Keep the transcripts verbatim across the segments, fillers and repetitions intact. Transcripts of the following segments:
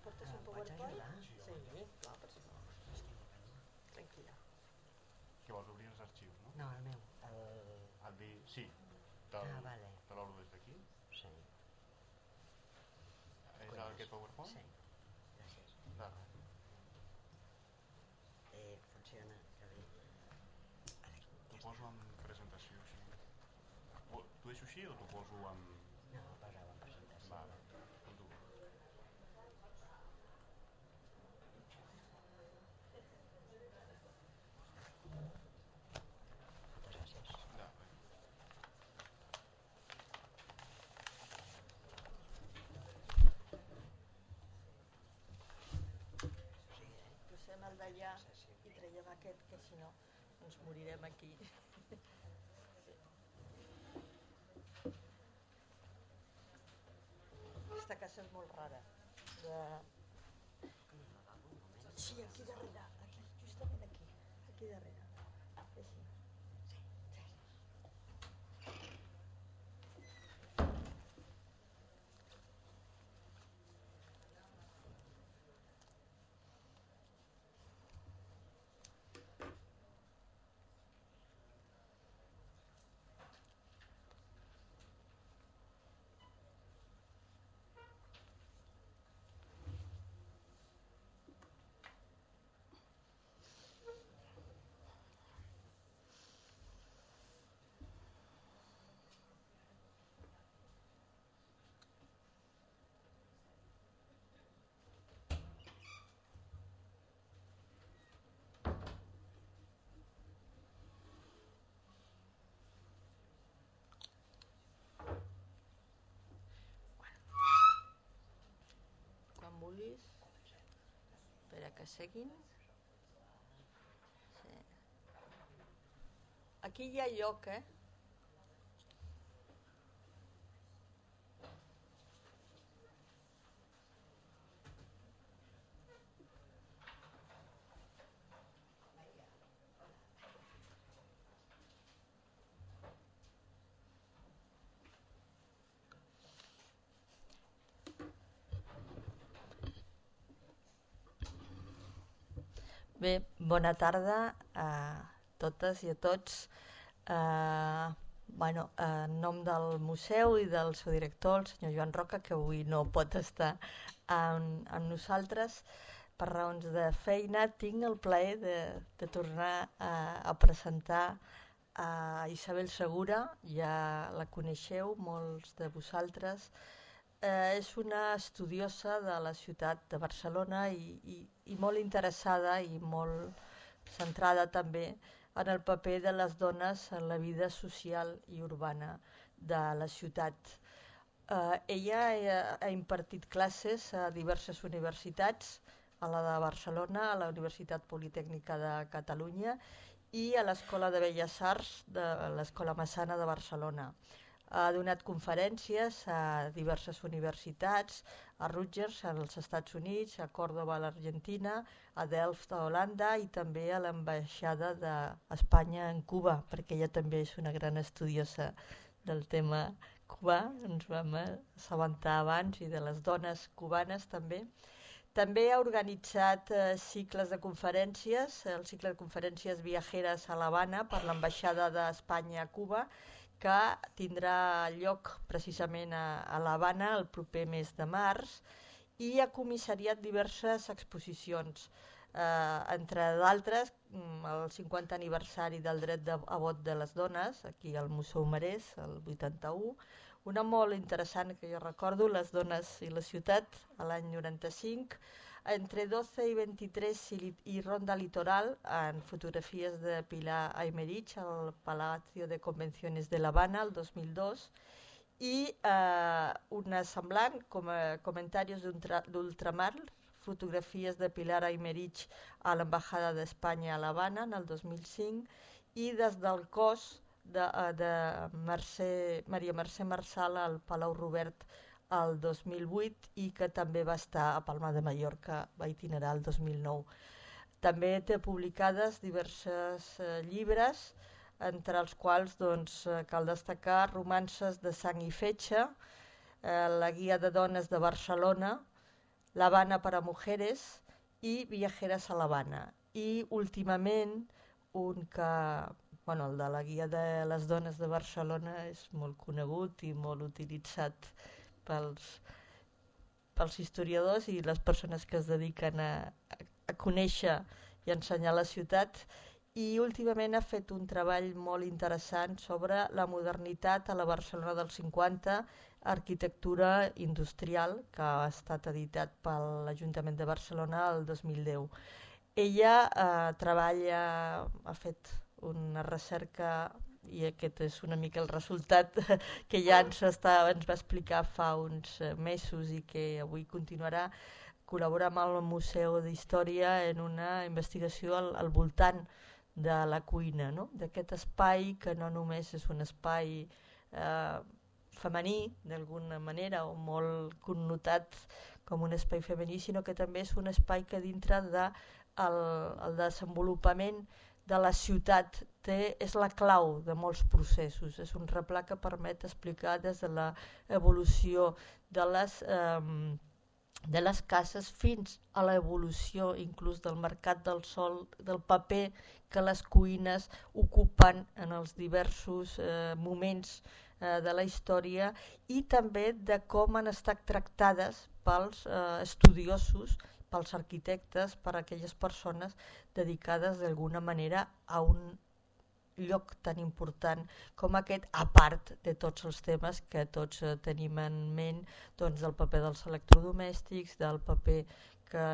portes un PowerPoint? Sí, clar, per si no. Tranquil·la. Que vols obrir els arxius, no? No, el meu. El... Et dir, sí, te ah, vale. l'obro des d'aquí. Sí. És Cuides. Aquest PowerPoint? Sí, gràcies. De res. Eh, funciona, que bé. T'ho poso en presentació així. T'ho deixo així o t'ho poso en... No, posa-ho en presentació. Vale, com tu. Moltes gràcies. De res. Posem el d'allà i traiem aquest, que si no ens morirem aquí. Aquesta casa és molt rara. De... Sí, aquí darrere, aquí, justament aquí, aquí darrere. Així. Sí, gràcies. Quan vulguis. Espera que seguin. Sí. Aquí hi ha lloc, eh? Bé, bona tarda a totes i a tots. Uh, bueno, en nom del museu i del seu director, el senyor Joan Roca, que avui no pot estar amb, amb nosaltres per raons de feina, tinc el plaer de, de tornar a, a presentar a Isabel Segura. Ja la coneixeu, molts de vosaltres. Eh, és una estudiosa de la ciutat de Barcelona i, i, i molt interessada i molt centrada també en el paper de les dones en la vida social i urbana de la ciutat. Eh, ella ha, ha impartit classes a diverses universitats, a la de Barcelona, a la Universitat Politècnica de Catalunya i a l'Escola de Belles Arts de l'Escola Massana de Barcelona. Ha donat conferències a diverses universitats, a Rutgers, als Estats Units, a Còrdova, a l'Argentina, a Delft, a Holanda i també a l'ambaixada d'Espanya en Cuba, perquè ella també és una gran estudiosa del tema cubà, ens vam assabentar abans, i de les dones cubanes també. També ha organitzat eh, cicles de conferències, el cicle de conferències viajeres a l'Havana per l'ambaixada d'Espanya a Cuba, que tindrà lloc precisament a, a l'Havana el proper mes de març, i ha comissariat diverses exposicions, eh, entre d'altres el cinquanta aniversari del dret de, a vot de les dones, aquí al Museu Marès, el vuitanta-u, una molt interessant que jo recordo, Les dones i la ciutat, a l'any noranta-cinc, entre doce i vint-i-tres i, i Ronda Litoral, en fotografies de Pilar Aymerich al Palacio de Convenciones de l'Havana el dos mil dos, i eh, una semblant com a comentaris d'ultramar, fotografies de Pilar Aymerich a l'Embajada d'Espanya a l'Havana en el dos mil cinc, i des del cos de, de Mercè, Maria Mercè Marsal al Palau Robert el dos mil vuit, i que també va estar a Palma de Mallorca, va itinerar el dos mil nou. També té publicades diversos eh, llibres, entre els quals doncs, cal destacar Romances de sang i fetge, eh, la guia de dones de Barcelona, La Habana para Mujeres i Viajeras a La Habana. I últimament un que, bueno, el de la Guia de les Dones de Barcelona és molt conegut i molt utilitzat pels, pels historiadors i les persones que es dediquen a, a conèixer i ensenyar la ciutat. I últimament ha fet un treball molt interessant sobre la modernitat a la Barcelona dels cinquanta, arquitectura industrial, que ha estat editat per l'Ajuntament de Barcelona el dos mil deu. Ella eh, treballa, ha fet una recerca, i aquest és una mica el resultat que ja ens, està, ens va explicar fa uns mesos i que avui continuarà, col·laborar amb el Museu d'Història en una investigació al, al voltant de la cuina, no? D'aquest espai que no només és un espai eh, femení, d'alguna manera, o molt connotat com un espai femení, sinó que també és un espai que dintre del de el desenvolupament de la ciutat té, és la clau de molts processos. És un replà que permet explicar des de l'evolució de les... Eh, de les cases fins a l'evolució inclús del mercat del sol, del paper que les cuines ocupen en els diversos eh, moments eh, de la història i també de com han estat tractades pels eh, estudiosos, pels arquitectes, per aquelles persones dedicades d'alguna manera a un lloc tan important com aquest, a part de tots els temes que tots eh, tenim en ment, doncs del paper dels electrodomèstics, del paper que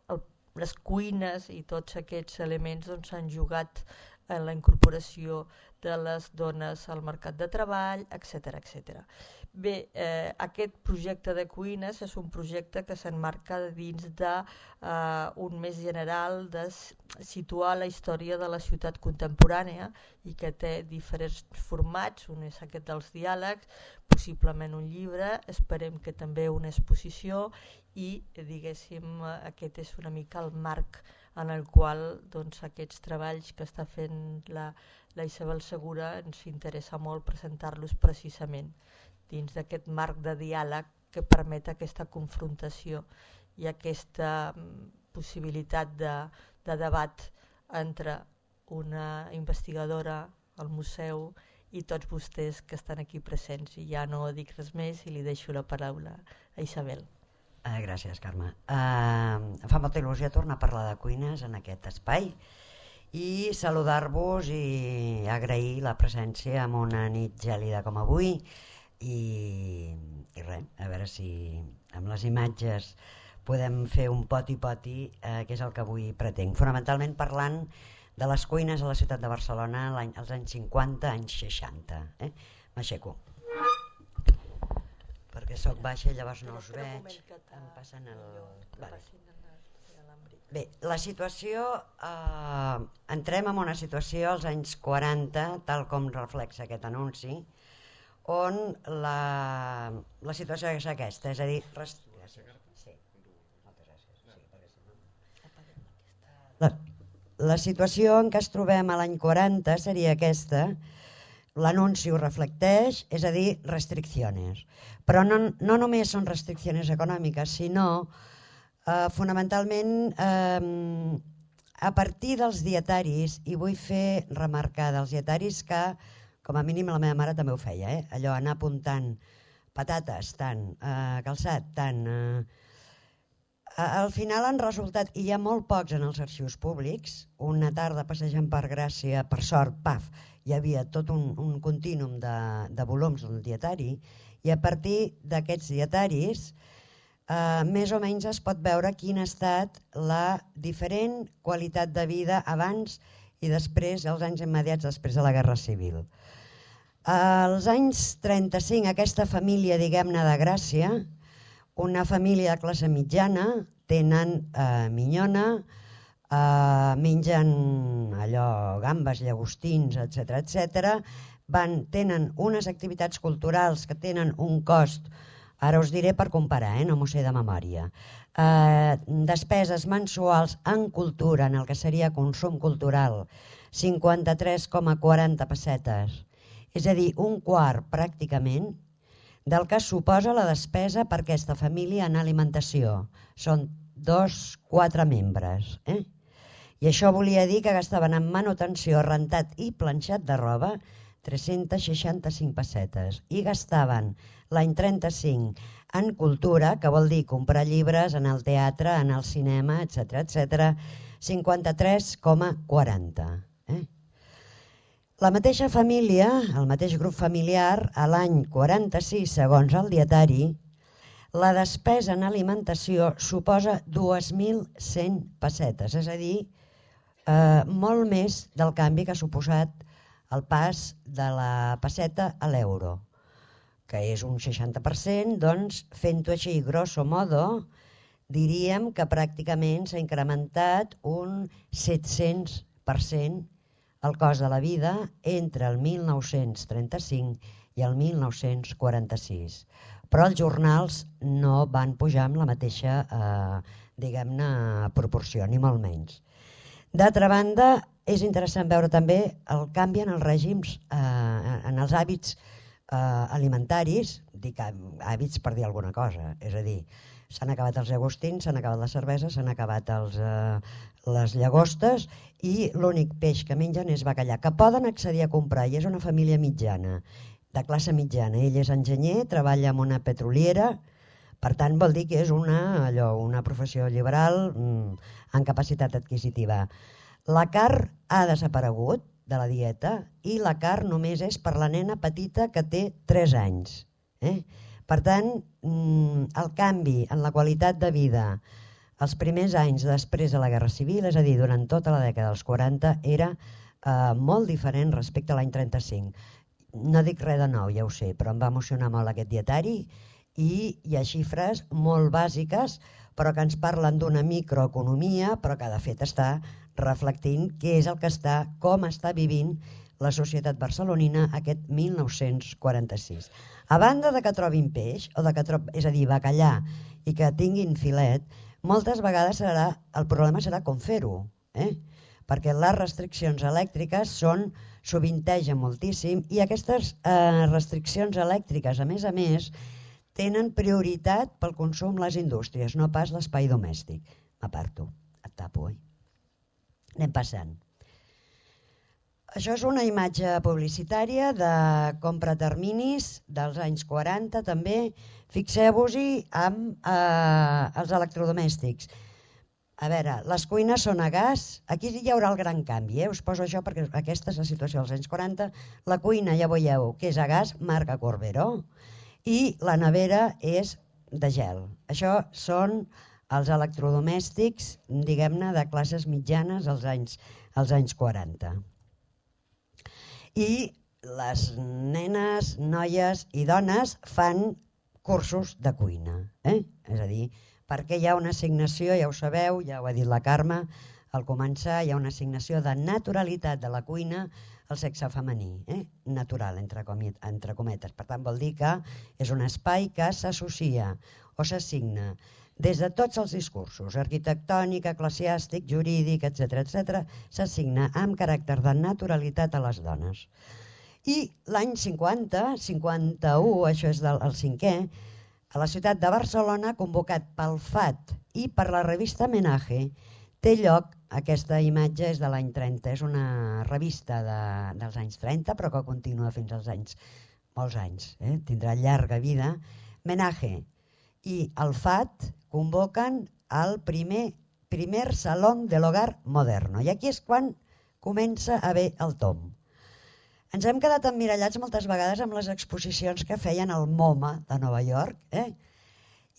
el, les cuines i tots aquests elements doncs, han jugat en la incorporació de les dones al mercat de treball, etcètera etcètera. Bé, eh, aquest projecte de cuines és un projecte que s'emmarca dins d'un eh, més general de situar la història de la ciutat contemporània i que té diferents formats, un és aquest dels diàlegs, possiblement un llibre, esperem que també una exposició i diguéssim aquest és una mica el marc en el qual doncs, aquests treballs que està fent la, la Isabel Segura ens interessa molt presentar-los precisament dins d'aquest marc de diàleg que permet aquesta confrontació i aquesta possibilitat de, de debat entre una investigadora, el museu i tots vostès que estan aquí presents. I ja no dic res més i li deixo la paraula a Isabel. Uh, gràcies, Carme. Uh, fa molta il·lusió tornar a parlar de cuines en aquest espai i saludar-vos i agrair la presència en una nit gèlida com avui. I, i res, a veure si amb les imatges podem fer un poti-poti, eh, que és el que avui pretenc. Fonamentalment parlant de les cuines a la ciutat de Barcelona als anys cinquanta, anys seixanta. Eh? M'aixeco. Perquè soc baixa i llavors no us veig. Em passen el... Vale. Bé, la situació... Eh, entrem en una situació als anys quaranta, tal com reflexa aquest anunci, on la, la situació és aquesta, és a dir... Rest... Sí. Moltes gràcies. Sí, la, la situació en què es trobem a l'any quaranta seria aquesta, l'anunci ho reflecteix, és a dir, restriccions. Però no, no només són restriccions econòmiques, sinó eh, fonamentalment eh, a partir dels dietaris, i vull fer remarcar dels dietaris que com a mínim la meva mare també ho feia, eh? Allò anar apuntant patates, tant, eh, calçat, tant... Eh, al final han resultat, i hi ha molt pocs en els arxius públics, una tarda passejant per Gràcia, per sort, paf, hi havia tot un, un contínum de, de volums del dietari, i a partir d'aquests dietaris eh, més o menys es pot veure quina ha estat la diferent qualitat de vida abans i després, els anys immediats després de la Guerra Civil. Als anys trenta-cinc, aquesta família, diguem-ne, de Gràcia, una família de classe mitjana, tenen eh, minyona, eh, mengen allò, gambes, llagostins, etcètera, etcètera, van, tenen unes activitats culturals que tenen un cost, ara us diré per comparar, eh, no m'ho sé de memòria, eh, despeses mensuals en cultura, en el que seria consum cultural, cinquanta-tres coma quaranta pessetes, és a dir, un quart pràcticament del que suposa la despesa per aquesta família en alimentació. Són dos, quatre membres. Eh? I això volia dir que gastaven en manutenció, rentat i planxat de roba tres-centes seixanta-cinc pessetes i gastaven l'any trenta-cinc en cultura, que vol dir comprar llibres, anar al teatre, anar al cinema, etcètera, etcètera, cinquanta-tres coma quaranta. Eh? La mateixa família, el mateix grup familiar, a l'any quaranta-sis, segons el dietari, la despesa en alimentació suposa dos mil cent pessetes, és a dir, eh, molt més del canvi que ha suposat el pas de la pesseta a l'euro, que és un seixanta per cent, doncs, fent-ho així, grosso modo, diríem que pràcticament s'ha incrementat un set-cents per cent el cost de la vida entre el mil nou-cents trenta-cinc i el mil nou-cents quaranta-sis. Però els jornals no van pujar amb la mateixa, eh, diguem-ne, proporció, ni molt menys. D'altra banda, és interessant veure també el canvi en els règims, eh, en els hàbits eh, alimentaris, dic hàbits per dir alguna cosa, és a dir, s'han acabat els llagostins, s'han acabat les cerveses, s'han acabat els, eh, les llagostes i l'únic peix que mengen és bacallà, que poden accedir a comprar, i és una família mitjana, de classe mitjana. Ell és enginyer, treballa en una petroliera, per tant vol dir que és una, allò, una professió liberal mm, en capacitat adquisitiva. La carn ha desaparegut de la dieta i la carn només és per la nena petita que té tres anys. Eh? Per tant, el canvi en la qualitat de vida els primers anys després de la Guerra Civil, és a dir, durant tota la dècada dels quaranta, era eh, molt diferent respecte a l'any trenta-cinc. No dic res de nou, ja ho sé, però em va emocionar molt aquest dietari i hi ha xifres molt bàsiques, però que ens parlen d'una microeconomia, però que de fet està reflectint què és el que està, com està vivint la societat barcelonina aquest mil nou-cents quaranta-sis. A banda de que trobin peix, o de que trob... és a dir, bacallà, i que tinguin filet, moltes vegades serà, el problema serà com fer-ho, eh? Perquè les restriccions elèctriques són, sovintegen moltíssim, i aquestes eh, restriccions elèctriques, a més a més, tenen prioritat pel consum les indústries, no pas l'espai domèstic. M'aparto, et tapo, eh? Anem passant. Això és una imatge publicitària de compra terminis dels anys quaranta, també. Fixeu-vos-hi amb eh, els electrodomèstics. A veure, les cuines són a gas. Aquí hi haurà el gran canvi, eh? Us poso això perquè aquesta és la situació dels anys quaranta. La cuina, ja veieu, que és a gas, marca Corbero, i la nevera és de gel. Això són els electrodomèstics, diguem-ne, de classes mitjanes als anys, als anys quaranta. I les nenes, noies i dones fan cursos de cuina. Eh? És a dir, perquè hi ha una assignació, ja ho sabeu, ja ho ha dit la Carme, al començar hi ha una assignació de naturalitat de la cuina al sexe femení, eh? natural, entre, entre cometes. Per tant, vol dir que és un espai que s'associa o s'assigna des de tots els discursos, arquitectònic, eclesiàstic, jurídic, etcètera, etcètera, s'assigna amb caràcter de naturalitat a les dones. I l'any cinquanta, cinquanta-u, això és del, el cinquè, a la ciutat de Barcelona, convocat pel F A T i per la revista Menage, té lloc, aquesta imatge és de l'any trenta, és una revista de, dels anys trenta, però que continua fins als anys, molts anys, eh? Tindrà llarga vida. Menage i el F A T convoquen el primer, primer Salón del Hogar Moderno. I aquí és quan comença a haver el tom. Ens hem quedat emmirallats moltes vegades amb les exposicions que feien al MoMA de Nova York, eh?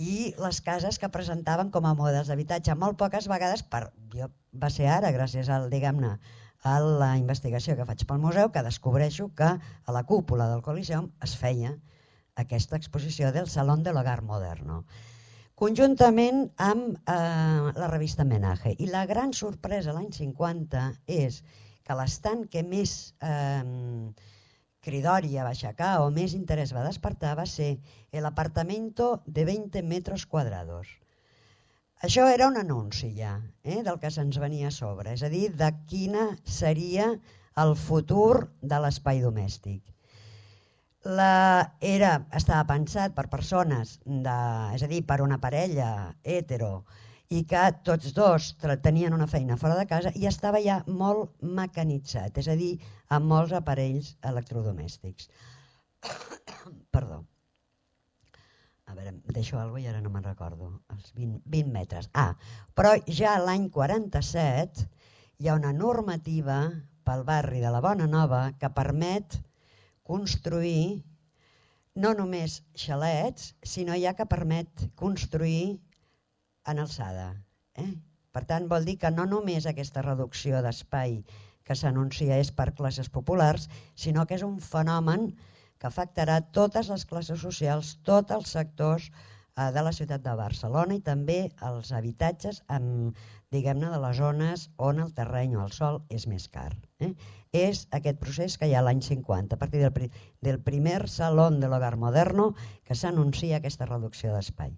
I les cases que presentaven com a models d'habitatge. Molt poques vegades, per, jo, va ser ara, gràcies al, diguem-ne, a la investigació que faig pel museu, que descobreixo que a la cúpula del Coliseum es feia aquesta exposició del Salón del Hogar Moderno, conjuntament amb eh, la revista Menage. I la gran sorpresa l'any cinquanta és que l'estant que més eh, cridòria va aixecar o més interès va despertar va ser el apartamento de veinte metros cuadrados. Això era un anunci ja, eh, del que se'ns venia a sobre, és a dir, de quina seria el futur de l'espai domèstic. La, era, estava pensat per persones, de, és a dir, per una parella hetero, i que tots dos tenien una feina fora de casa i estava ja molt mecanitzat, és a dir, amb molts aparells electrodomèstics. Perdó. A veure, em deixo alguna cosa i ara no me'n recordo. Els vint, vint metres. Ah, però ja l'any quaranta-set hi ha una normativa pel barri de la Bona Nova que permet construir no només xalets, sinó ja que permet construir en alçada. Eh? Per tant, vol dir que no només aquesta reducció d'espai que s'anuncia és per classes populars, sinó que és un fenomen que afectarà totes les classes socials, tots els sectors eh, de la ciutat de Barcelona i també els habitatges amb, diguem-ne, de les zones on el terreny o el sòl és més car. Eh? És aquest procés que hi ha l'any cinquanta, a partir del, pri del primer Salón de l'Hogar Moderno, que s'anuncia aquesta reducció d'espai.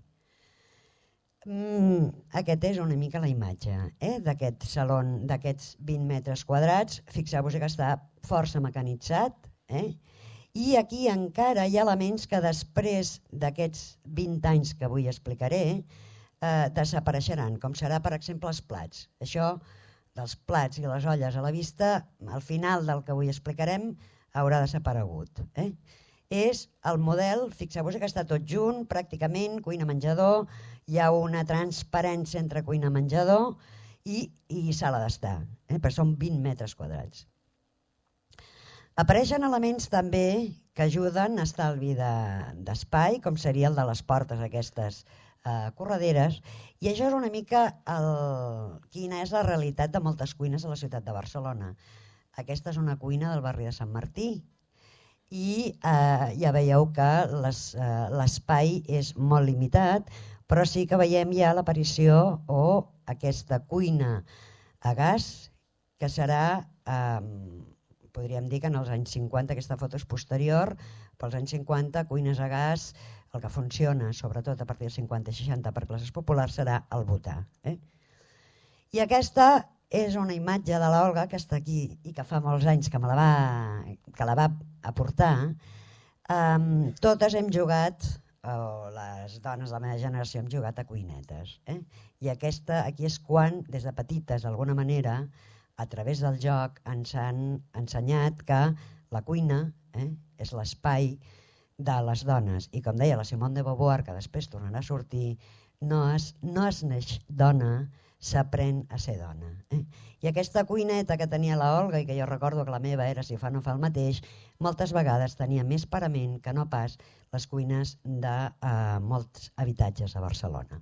Mm, aquest és una mica la imatge eh, d'aquest saló, d'aquests vint metres quadrats. Fixeu-vos que està força mecanitzat, eh? I aquí encara hi ha elements que després d'aquests vint anys que avui explicaré eh, desapareixeran, com serà per exemple els plats. Això dels plats i les olles a la vista, al final del que avui explicarem, haurà desaparegut. Eh? És el model, fixeu-vos que està tot junt, pràcticament, cuina-menjador, hi ha una transparència entre cuina-menjador i, i sala d'estar, eh? Però són vint metres quadrats. Apareixen elements també que ajuden a estalvi d'espai, de, com seria el de les portes aquestes Uh, correderes, i això és una mica el, quina és la realitat de moltes cuines a la ciutat de Barcelona. Aquesta és una cuina del barri de Sant Martí i uh, ja veieu que l'espai uh, és molt limitat, però sí que veiem ja l'aparició o aquesta cuina a gas que serà, um, podríem dir que en els anys cinquanta, aquesta foto és posterior, però als anys cinquanta cuines a gas, el que funciona, sobretot a partir del cinquanta i seixanta per classes populars, serà el butà. Eh? I aquesta és una imatge de l'Olga que està aquí i que fa molts anys que, me la, va, que la va aportar. Um, totes hem jugat, o les dones de la meva generació hem jugat a cuinetes. Eh? I aquesta, aquí és quan, des de petites, d'alguna manera, a través del joc, ens han ensenyat que la cuina eh, és l'espai de les dones, i com deia la Simone de Beauvoir, que després tornarà a sortir, no es, no es neix dona, s'aprèn a ser dona. Eh? I aquesta cuineta que tenia la Olga, i que jo recordo que la meva era si fa no fa el mateix, moltes vegades tenia més parament que no pas les cuines de eh, molts habitatges a Barcelona.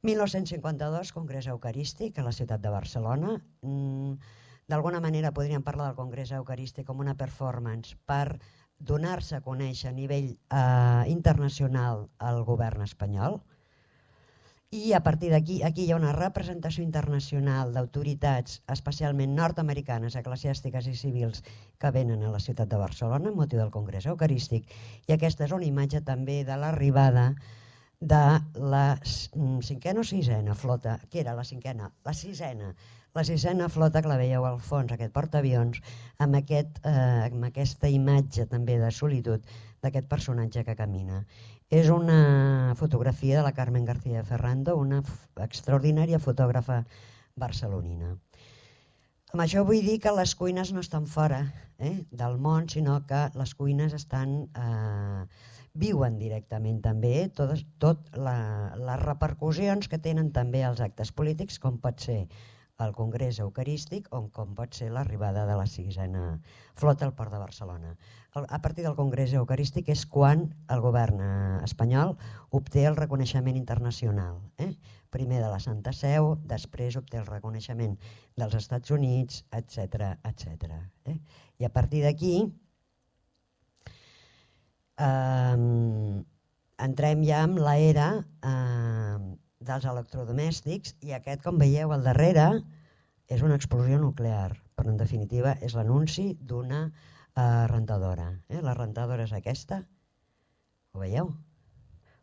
mil nou-cents cinquanta-dos, Congrés Eucarístic a la ciutat de Barcelona. Mm, d'alguna manera podríem parlar del Congrés Eucarístic com una performance per donar-se a conèixer a nivell eh, internacional al govern espanyol, i a partir d'aquí aquí hi ha una representació internacional d'autoritats, especialment nord-americanes, eclesiàstiques i civils, que venen a la ciutat de Barcelona amb motiu del Congrés Eucarístic, i aquesta és una imatge també de l'arribada de la cinquena o sisena flota, que era la cinquena, la sisena, la sisena flota que la veieu al fons, aquest portaavions, amb, aquest, eh, amb aquesta imatge també de solitud d'aquest personatge que camina. És una fotografia de la Carmen García Ferrando, una extraordinària fotògrafa barcelonina. Amb això vull dir que les cuines no estan fora eh, del món, sinó que les cuines estan... Eh, viuen directament també tot, tot la, les repercussions que tenen també els actes polítics, com pot ser el Congrés Eucarístic o com pot ser l'arribada de la sisena flota al port de Barcelona. A partir del Congrés Eucarístic és quan el govern espanyol obté el reconeixement internacional. Eh? Primer de la Santa Seu, després obté el reconeixement dels Estats Units, etcètera, etcètera. Eh? I a partir d'aquí eh, entrem ja en l'era eh, dels electrodomèstics, i aquest, com veieu al darrere, és una explosió nuclear, però en definitiva és l'anunci d'una eh, rentadora. Eh? La rentadora és aquesta, ho veieu?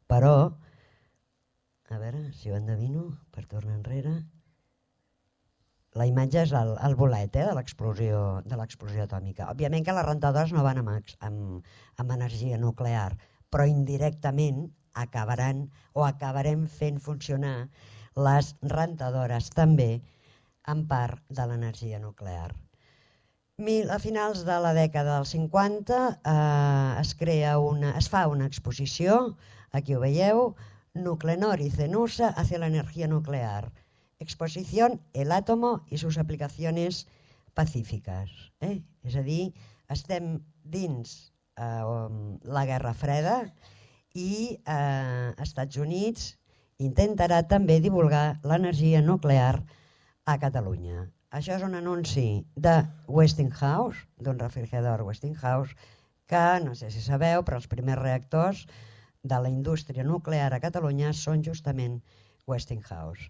Però, a veure si ho endevino, per tornar enrere, La imatge és el, el bolet eh, de l'explosió de l'explosió atòmica. Òbviament que les rentadores no van amb, amb, amb energia nuclear, però indirectament acabaran o acabarem fent funcionar les rentadores també en part de l'energia nuclear. A finals de la dècada dels cinquanta eh, es, crea una, es fa una exposició, aquí ho veieu, Nuclenor y Cenusa hacia la energía nuclear. Exposición El átomo y sus aplicaciones pacífiques. Eh? És a dir, estem dins eh, la Guerra Freda i eh, Estats Units intentarà també divulgar l'energia nuclear a Catalunya. Això és un anunci de Westinghouse, d'un refrigerador Westinghouse, que no sé si sabeu, però els primers reactors de la indústria nuclear a Catalunya són justament Westinghouse.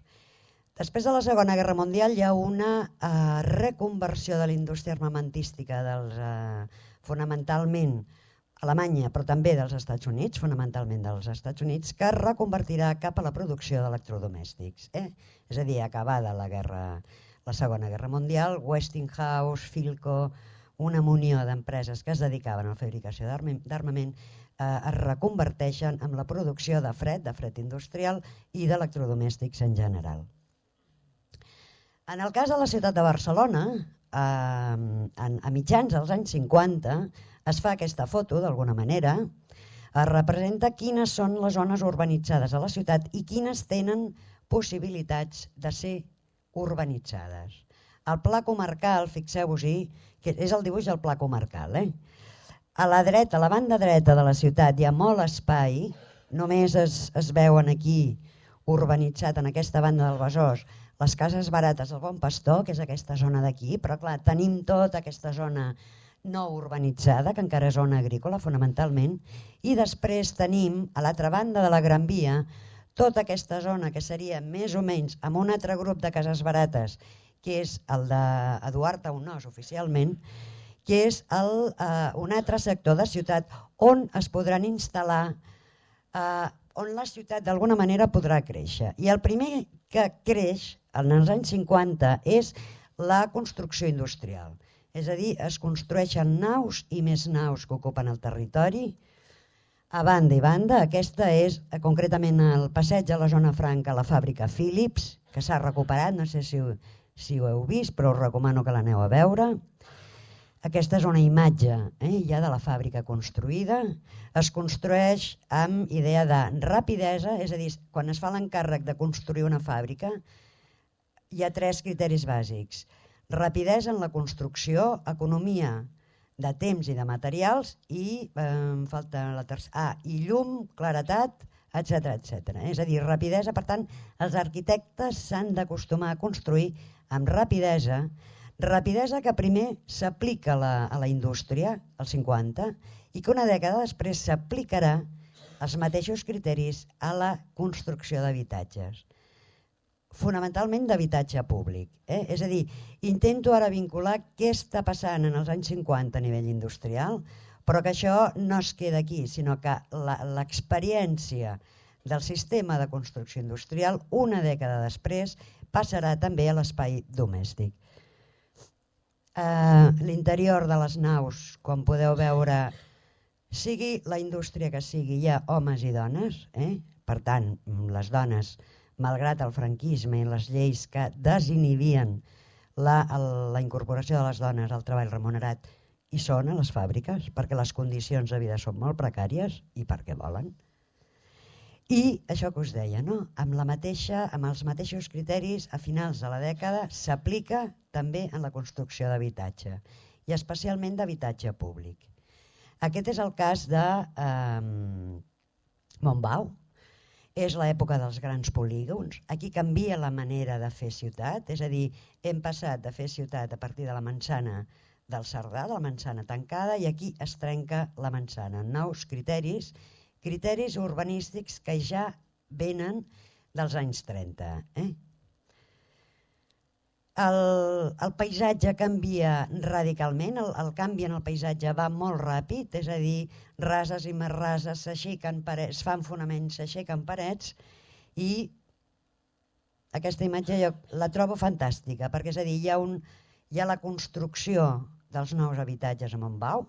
Després de la Segona Guerra Mundial hi ha una eh, reconversió de la indústria armamentística dels, eh, fonamentalment Alemanya, però també dels Estats Units, fonamentalment dels Estats Units, que es reconvertirà cap a la producció d'electrodomèstics. Eh? És a dir, acabada la, guerra, la Segona Guerra Mundial, Westinghouse, Philco, una munió d'empreses que es dedicaven a la fabricació d'armament, eh, es reconverteixen en la producció de fred, de fred industrial i d'electrodomèstics en general. En el cas de la ciutat de Barcelona, eh, a mitjans dels anys cinquanta, es fa aquesta foto, d'alguna manera, es representa quines són les zones urbanitzades a la ciutat i quines tenen possibilitats de ser urbanitzades. El pla comarcal, fixeu-vos-hi, que és el dibuix del pla comarcal. Eh? A la dreta, a la banda dreta de la ciutat hi ha molt espai, només es, es veuen aquí urbanitzat en aquesta banda del Besòs les cases barates del Bon Pastor, que és aquesta zona d'aquí, però clar, tenim tota aquesta zona no urbanitzada, que encara és zona agrícola fonamentalment, i després tenim a l'altra banda de la Gran Via tota aquesta zona que seria més o menys amb un altre grup de cases barates, que és el d'Eduard Taunós oficialment, que és el, eh, un altre sector de ciutat on es podran instal·lar, eh, on la ciutat d'alguna manera podrà créixer. I el primer que creix en els anys cinquanta és la construcció industrial. És a dir, es construeixen naus i més naus que ocupen el territori, a banda i banda. Aquesta és concretament el passeig a la zona franca, la fàbrica Philips, que s'ha recuperat, no sé si, si ho heu vist, però us recomano que l'aneu a veure. Aquesta és una imatge eh, ja de la fàbrica construïda. Es construeix amb idea de rapidesa, és a dir, quan es fa l'encàrrec de construir una fàbrica, hi ha tres criteris bàsics. Rapidesa en la construcció, economia de temps i de materials i, eh, falta la tercera, ah, i llum, claretat, etcètera, etcètera. És a dir, rapidesa, per tant, els arquitectes s'han d'acostumar a construir amb rapidesa, rapidesa que primer s'aplica a, la, a la indústria, als cinquanta, i que una dècada després s'aplicarà els mateixos criteris a la construcció d'habitatges. Fonamentalment d'habitatge públic. Eh? És a dir, intento ara vincular què està passant en els anys cinquanta a nivell industrial, però que això no es queda aquí, sinó que l'experiència del sistema de construcció industrial, una dècada després, passarà també a l'espai domèstic. Uh, L'interior de les naus, com podeu veure, sigui la indústria que sigui, hi ha homes i dones, eh? Per tant, les dones, malgrat el franquisme i les lleis que desinhibien la, la incorporació de les dones al treball remunerat, hi són a les fàbriques, perquè les condicions de vida són molt precàries i perquè volen. I això que us deia, no? amb, la mateixa, amb els mateixos criteris, a finals de la dècada s'aplica també en la construcció d'habitatge, i especialment d'habitatge públic. Aquest és el cas de eh, Montbau. És l'època dels grans polígons. Aquí canvia la manera de fer ciutat, és a dir, hem passat de fer ciutat a partir de la manzana del Cerdà, de la manzana tancada, i aquí es trenca la manzana. Nous criteris, criteris urbanístics que ja venen dels anys trenta. Eh? El, el paisatge canvia radicalment, el, el canvi en el paisatge va molt ràpid, és a dir, rases i més rases s'aixequen parets, es fan fonaments, s'aixequen parets i aquesta imatge jo la trobo fantàstica, perquè és a dir, hi ha, un, hi ha la construcció dels nous habitatges a Montbau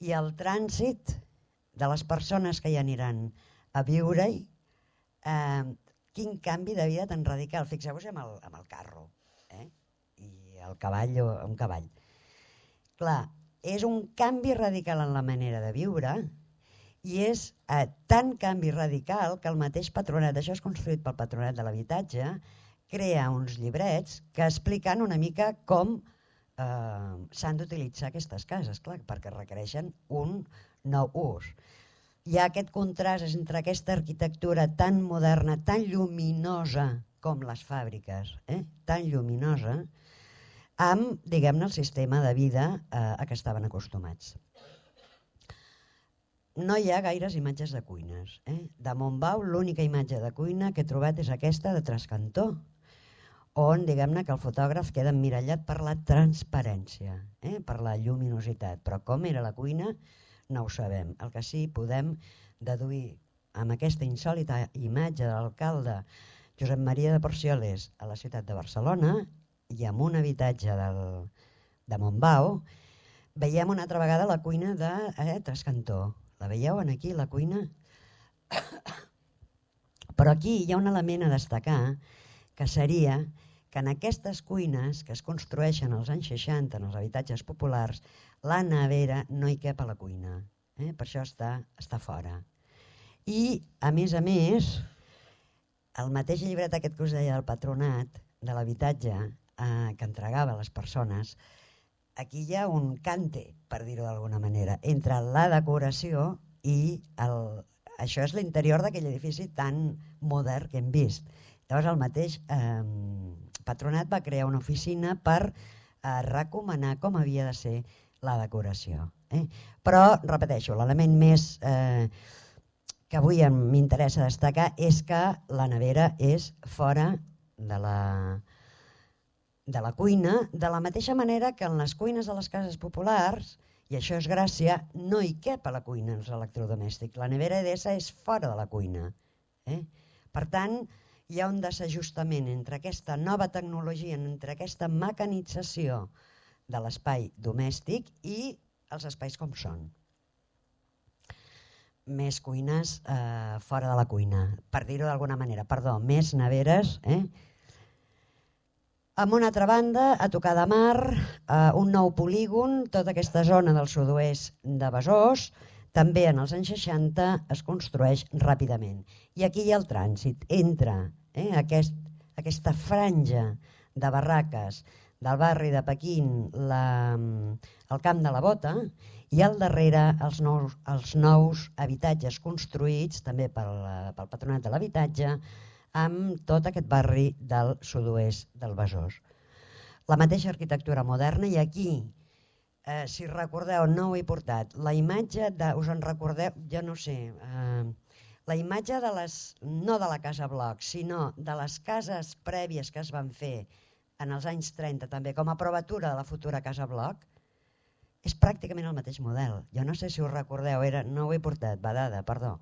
i el trànsit de les persones que hi aniran a viure-hi, eh, quin canvi de vida tan radical. Fixeu-vos amb, el, amb el carro, eh? I el cavall o un cavall. Clar, és un canvi radical en la manera de viure i és eh, tan canvi radical que el mateix patronat, això és construït pel patronat de l'habitatge, crea uns llibrets que expliquen una mica com eh, s'han d'utilitzar aquestes cases, clar, perquè requereixen un nou ús. Hi ha aquest contrast entre aquesta arquitectura tan moderna, tan lluminosa com les fàbriques, eh? tan lluminosa, amb, diguem-ne, el sistema de vida eh, a què estaven acostumats. No hi ha gaires imatges de cuines. Eh? De Montbau l'única imatge de cuina que he trobat és aquesta de Trascantó, on diguem-ne que el fotògraf queda emmirallat per la transparència, eh? per la lluminositat, però com era la cuina no ho sabem. El que sí podem deduir amb aquesta insòlita imatge de l'alcalde Josep Maria de Porcioles a la ciutat de Barcelona i amb un habitatge del, de Montbau, veiem una altra vegada la cuina de eh, Trascantó. La veieu aquí, la cuina? Però aquí hi ha un element a destacar, que seria que en aquestes cuines que es construeixen als anys seixanta en els habitatges populars, la nevera no hi cap a la cuina, eh? Per això està, està fora. I, a més a més, el mateix llibret aquest que us deia del patronat de l'habitatge eh, que entregava a les persones, aquí hi ha un cante, per dir-ho d'alguna manera, entre la decoració i el... això és l'interior d'aquell edifici tan modern que hem vist. Llavors el mateix eh, patronat va crear una oficina per eh, recomanar com havia de ser la decoració. Eh? Però, repeteixo, l'element més eh, que avui m'interessa destacar és que la nevera és fora de la, de la cuina, de la mateixa manera que en les cuines de les cases populars, i això és gràcia, no hi cap a la cuina els electrodomèstics. La nevera Edesa és fora de la cuina. Eh? Per tant, hi ha un desajustament entre aquesta nova tecnologia, entre aquesta mecanització de l'espai domèstic i els espais com són. Més cuines eh, fora de la cuina, per dir-ho d'alguna manera, perdó, més neveres. Eh? Amb una altra banda, a tocar de mar, eh, un nou polígon, tota aquesta zona del sud-oest de Besòs, també en els anys seixanta es construeix ràpidament. I aquí hi ha el trànsit entre eh, aquest, aquesta franja de barraques del barri de Pequín, la, el Camp de la Bota, i al darrere els nous, els nous habitatges construïts també pel, pel Patronat de l'Habitatge, amb tot aquest barri del sud-oest del Besòs. La mateixa arquitectura moderna, i aquí, eh, si recordeu, no ho he portat, la imatge, de, us en recordeu, jo no sé, eh, la imatge de les, no de la Casa Bloc, sinó de les cases prèvies que es van fer en els anys trenta també, com a provatura de la futura Casa Bloc, és pràcticament el mateix model. Jo no sé si us recordeu, era, no ho he portat, badada, perdó.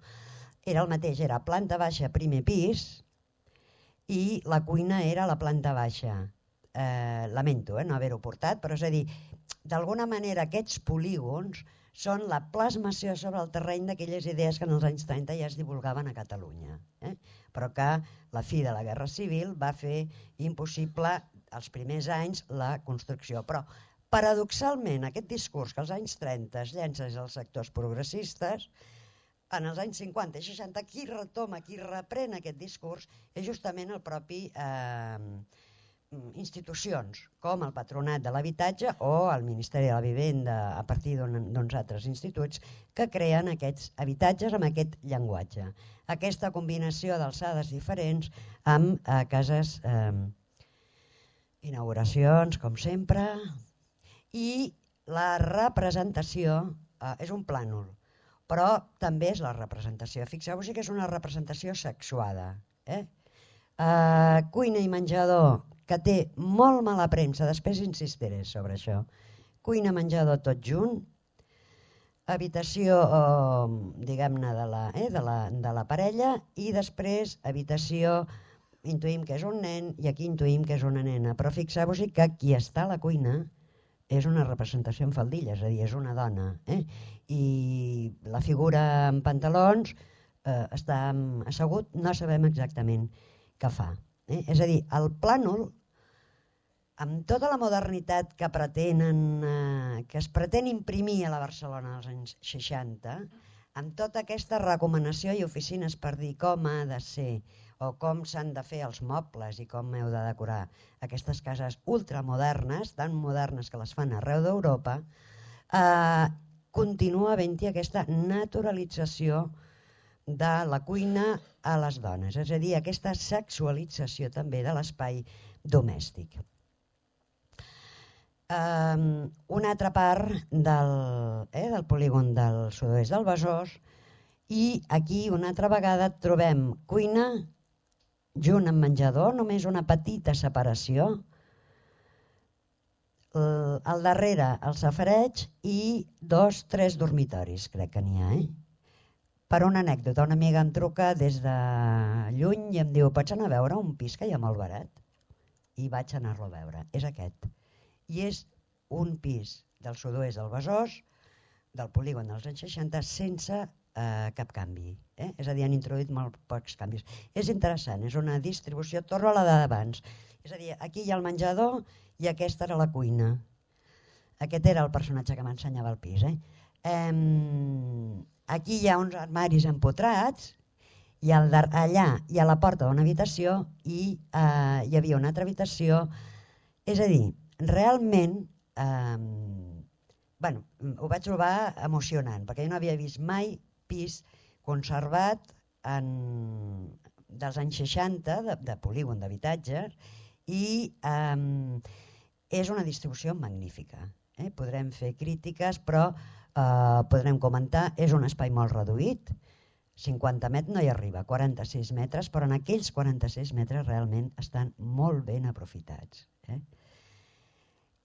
Era el mateix, era planta baixa, primer pis, i la cuina era a la planta baixa. Eh, lamento eh, no haver-ho portat, però és a dir, d'alguna manera aquests polígons són la plasmació sobre el terreny d'aquelles idees que en els anys trenta ja es divulgaven a Catalunya, eh? Però que la fi de la Guerra Civil va fer impossible els primers anys la construcció. Però, paradoxalment, aquest discurs que als anys trenta es llença des dels sectors progressistes, en els anys cinquanta i seixanta, qui retoma, qui reprèn aquest discurs és justament el propi eh, institucions, com el Patronat de l'Habitatge o el Ministeri de la Vivenda, a partir d'uns altres instituts, que creen aquests habitatges amb aquest llenguatge. Aquesta combinació d'alçades diferents amb eh, cases, eh, inauguracions, com sempre, i la representació eh, és un plànol, però també és la representació. Fixeu-vos que és una representació sexuada. Eh? Uh, cuina i menjador, que té molt mala premsa, després insistiré sobre això. Cuina, menjador, tot junt. Habitació, uh, diguem-ne, de, la, eh, de, la, de la parella, i després habitació intuïm que és un nen i aquí intuïm que és una nena, però fixeu-vos que qui està a la cuina és una representació en faldilla, és a dir, és una dona, eh? I la figura en pantalons eh, està assegut, no sabem exactament què fa. Eh? És a dir, el plànol, amb tota la modernitat que pretenen, eh, que es pretén imprimir a la Barcelona dels anys seixanta, amb tota aquesta recomanació i oficines per dir com ha de ser o com s'han de fer els mobles i com heu de decorar aquestes cases ultramodernes, tan modernes que les fan arreu d'Europa, eh, continua havent-hi aquesta naturalització de la cuina a les dones, és a dir, aquesta sexualització també de l'espai domèstic. Um, una altra part del, eh, del polígon del sud-oest del Besòs, i aquí una altra vegada trobem cuina junt amb menjador, només una petita separació, el, al darrere el safareig i dos, tres dormitoris, crec que n'hi ha. Eh? Per una anècdota, una amiga em truca des de lluny i em diu: pots anar a veure un pis que hi ha molt barat? I vaig anar-lo a veure, és aquest. I és un pis del sud-oest del Besòs, del polígon dels anys seixanta, sense eh, cap canvi. Eh? És a dir, han introduït molt pocs canvis. És interessant, és una distribució, torno a la d'abans. És a dir, aquí hi ha el menjador i aquesta era la cuina. Aquest era el personatge que m'ensenyava el pis. Eh? Eh, aquí hi ha uns armaris empotrats, i al, allà hi ha la porta d'una habitació i eh, hi havia una altra habitació. És a dir, realment eh, bueno, ho vaig trobar emocionant, perquè jo no havia vist mai pis conservat en, dels anys seixanta, de, de polígon d'habitatges, i eh, és una distribució magnífica. Eh? Podrem fer crítiques, però eh, podrem comentar, és un espai molt reduït, cinquanta metres no hi arriba, quaranta-sis metres, però en aquells quaranta-sis metres realment estan molt ben aprofitats. Eh?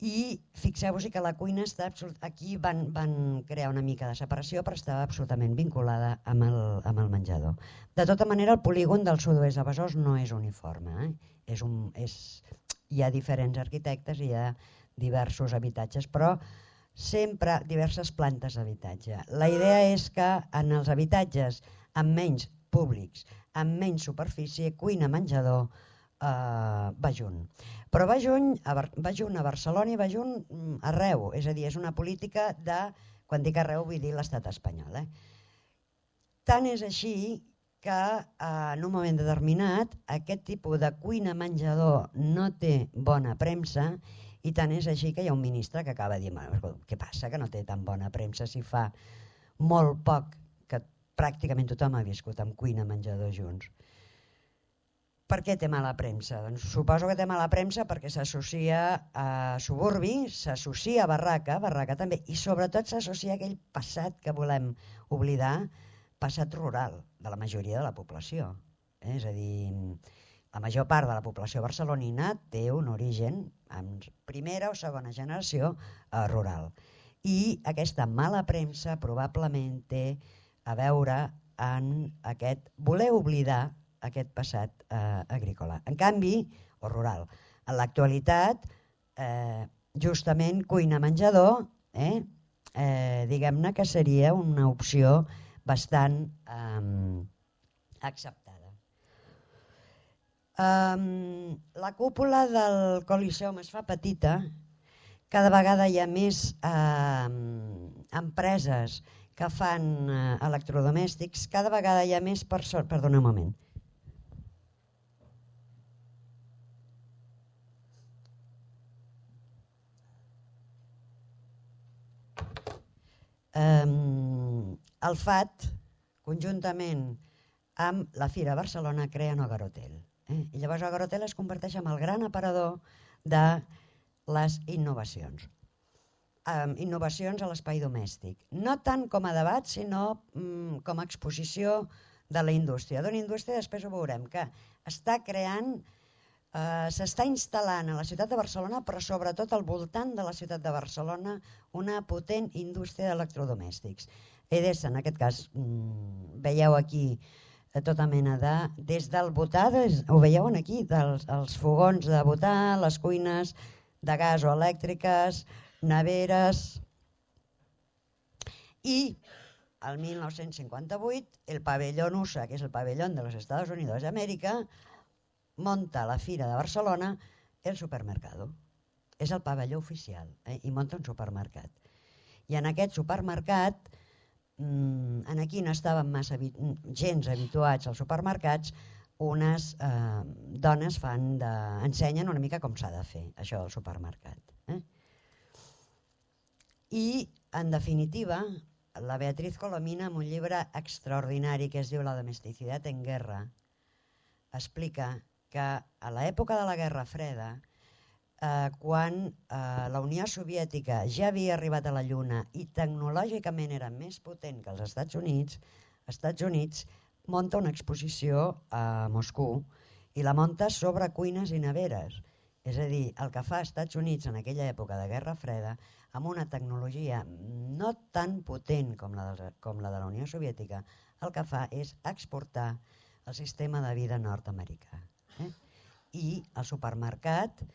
I fixeu-vos que la cuina està absolut... aquí van, van crear una mica de separació, però estava absolutament vinculada amb el, amb el menjador. De tota manera, el polígon del sud-oest de Besòs no és uniforme. Eh? És un, és... Hi ha diferents arquitectes, hi ha diversos habitatges, però sempre diverses plantes d'habitatge. La idea és que en els habitatges amb menys públics, amb menys superfície, cuina, menjador, eh, va junt. Però va junt, a, va junt a Barcelona i va junt arreu, és a dir, és una política de, quan dic arreu vull dir l'estat espanyol. Eh? Tant és així que eh, en un moment determinat aquest tipus de cuina-menjador no té bona premsa, i tant és així que hi ha un ministre que acaba de dir: què passa que no té tan bona premsa si fa molt poc que pràcticament tothom ha viscut amb cuina-menjador junts? Per què té mala premsa? Doncs suposo que té mala premsa perquè s'associa a suburbi, s'associa a barraca, barraca també, i sobretot s'associa a aquell passat que volem oblidar, passat rural de la majoria de la població. Eh? És a dir, la major part de la població barcelonina té un origen en primera o segona generació eh, rural. I aquesta mala premsa probablement té a veure en aquest voler oblidar aquest passat eh, agrícola. En canvi, o rural, en l'actualitat, eh, justament cuina-menjador, eh, eh, diguem-ne que seria una opció bastant eh, acceptada. Um, la cúpula del Coliseum es fa petita, cada vegada hi ha més eh, empreses que fan eh, electrodomèstics, cada vegada hi ha més persones... Perdona un moment. Um, el F A T, conjuntament amb la Fira Barcelona, creen Ogarotel. Eh? I llavors Ogarotel es converteix en el gran aparador de les innovacions. Um, innovacions a l'espai domèstic. No tant com a debat, sinó um, com a exposició de la indústria. D'una indústria, després ho veurem, que està creant, uh, s'està instal·lant a la ciutat de Barcelona, però sobretot al voltant de la ciutat de Barcelona, una potent indústria d'electrodomèstics. Edesa, en aquest cas, um, veieu aquí de tota mena de... Des del butà, des, ho veieu aquí, dels els fogons de butà, les cuines de gas o elèctriques, neveres... I el mil nou-cents cinquanta-vuit el pabellón U S A, que és el pabellón de los Estados Unidos de América, monta la Fira de Barcelona el supermercado. És el pavelló oficial, eh? I munta un supermercat. I en aquest supermercat, mmm, en aquí no estaven massa habi gens habituats als supermercats, unes eh, dones fan de, ensenyen una mica com s'ha de fer això del supermercat. Eh? I, en definitiva, la Beatriz Colomina, en un llibre extraordinari que es diu La domesticidad en guerra, explica que a l'època de la Guerra Freda, eh, quan eh, la Unió Soviètica ja havia arribat a la Lluna i tecnològicament era més potent que els Estats Units, els Estats Units munta una exposició a Moscou i la munta sobre cuines i neveres. És a dir, el que fa als Estats Units en aquella època de Guerra Freda, amb una tecnologia no tan potent com la de, com la de la Unió Soviètica, el que fa és exportar el sistema de vida nord-americà. Eh? I el supermercat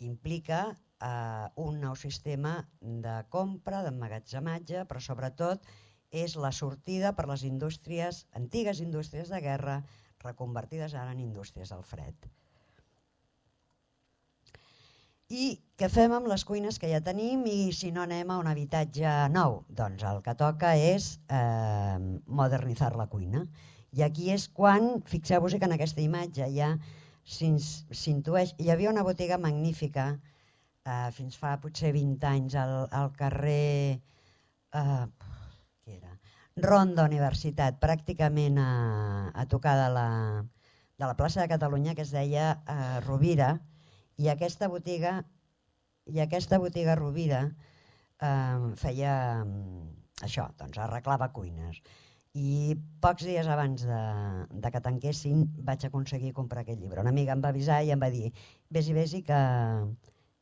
implica eh, un nou sistema de compra, d'emmagatzematge, però sobretot és la sortida per les indústries, antigues indústries de guerra, reconvertides ara en indústries del fred. I què fem amb les cuines que ja tenim i si no anem a un habitatge nou? Doncs el que toca és eh, modernitzar la cuina. I aquí és quan, fixeu-vos que en aquesta imatge ja s'intueix, hi havia una botiga magnífica eh, fins fa potser vint anys al, al carrer eh, què era? Ronda Universitat, pràcticament a, a tocar de la, de la plaça de Catalunya, que es deia eh, Rovira. I aquesta botiga, i aquesta botiga Rovira eh, feia eh, això, doncs arreglava cuines. I pocs dies abans de, de que tanquessin vaig aconseguir comprar aquest llibre. Una amiga em va avisar i em va dir vés-hi, vés-hi que,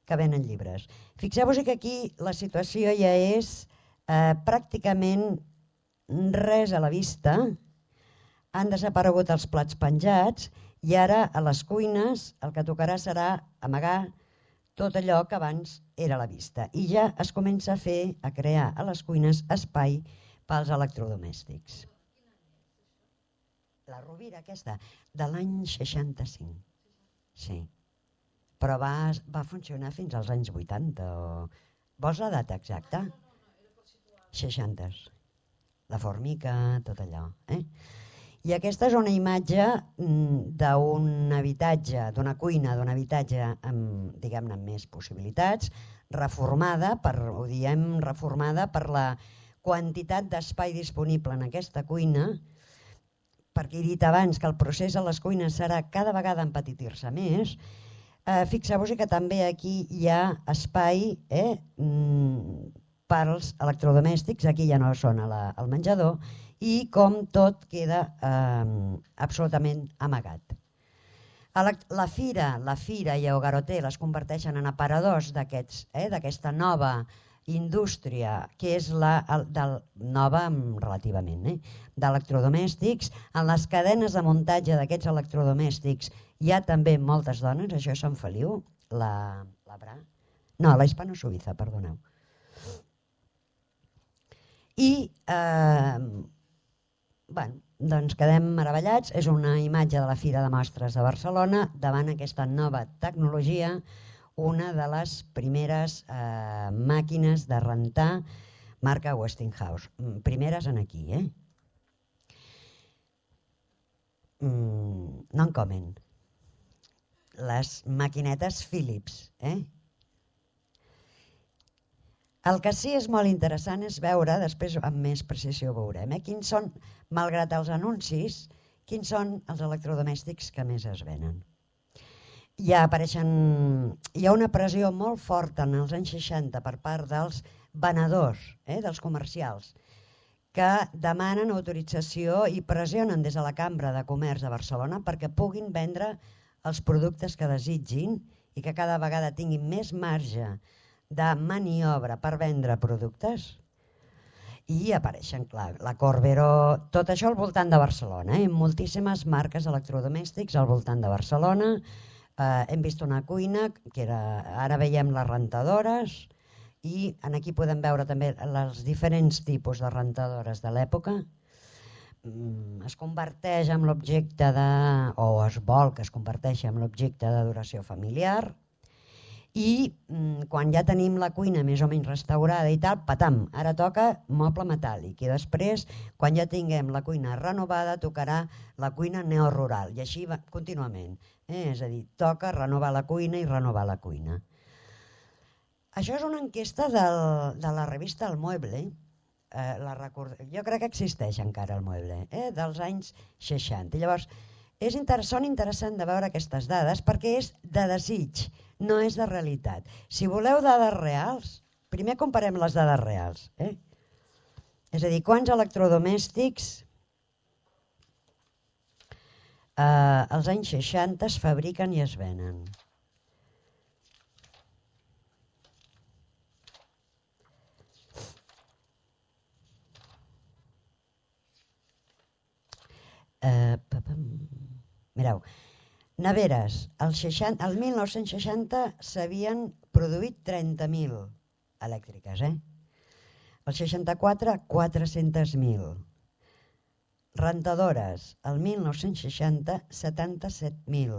que venen llibres. Fixeu-vos que aquí la situació ja és eh, pràcticament res a la vista, han desaparegut els plats penjats i ara a les cuines el que tocarà serà amagar tot allò que abans era a la vista. I ja es comença a fer, a crear a les cuines espai pels electrodomèstics. La Rovira aquesta, de l'any seixanta-cinc. Sí. Però va, va funcionar fins als anys vuitanta. O... Vols la data exacta? seixanta. La formica, tot allò. Eh? I aquesta és una imatge d'un habitatge, d'una cuina, d'un habitatge amb, diguem-ne, amb més possibilitats, reformada, per, ho diem reformada per la quantitat d'espai disponible en aquesta cuina, perquè he dit abans que el procés a les cuines serà cada vegada empetitir-se més. Eh, Fixeu-vos que també aquí hi ha espai eh, per als electrodomèstics, aquí ja no són al menjador, i com tot queda eh, absolutament amagat. La, la fira, la fira i el Garoter les converteixen en aparadors d'aquests, eh, d'aquesta nova indústria, que és la el, del, nova relativament, eh, d'electrodomèstics. En les cadenes de muntatge d'aquests electrodomèstics hi ha també moltes dones, això és Sant Feliu, la, la Bra, no, la Hispano-Suïssa, perdoneu. I eh, bueno, doncs quedem meravellats, és una imatge de la Fira de Mostres de Barcelona davant aquesta nova tecnologia, una de les primeres eh, màquines de rentar marca Westinghouse, primeres en aquí, eh? Mm, no en comen, les maquinetes Philips, eh? El que sí és molt interessant és veure, després amb més precisió veurem, eh, quins són, malgrat els anuncis, quins són els electrodomèstics que més es venen. Ja apareixen, hi ha una pressió molt forta en els anys seixanta per part dels venedors, eh, dels comercials, que demanen autorització i pressionen des de la Cambra de Comerç de Barcelona perquè puguin vendre els productes que desitgin i que cada vegada tinguin més marge de maniobra per vendre productes. i apareixen, clar, la Corberó, tot això al voltant de Barcelona, eh? Moltíssimes marques electrodomèstics al voltant de Barcelona. Eh, hem vist una cuina, que era, ara veiem les rentadores, i aquí podem veure també els diferents tipus de rentadores de l'època. Mm, es converteix en l'objecte de, o es vol que es converteixi en l'objecte d'adoració familiar. I mm, quan ja tenim la cuina més o menys restaurada i tal, patam, ara toca moble metàl·lic, i després, quan ja tinguem la cuina renovada, tocarà la cuina neorural, i així va, contínuament. Eh? És a dir, toca renovar la cuina i renovar la cuina. Això és una enquesta del, de la revista El Mueble, eh, la record... jo crec que existeix encara El Mueble, eh? dels anys seixanta. I llavors, és inter... són interessants de veure aquestes dades perquè és de desig, no és de realitat. Si voleu dades reals, primer comparem les dades reals. Eh? És a dir, quants electrodomèstics eh, als anys seixanta es fabriquen i es venen. Eh, mireu, neveres, el, seixanta, el mil nou-cents seixanta s'havien produït trenta mil elèctriques, eh? El seixanta-quatre, quatre-cents mil. Rentadores, el mil nou-cents seixanta, setanta-set mil.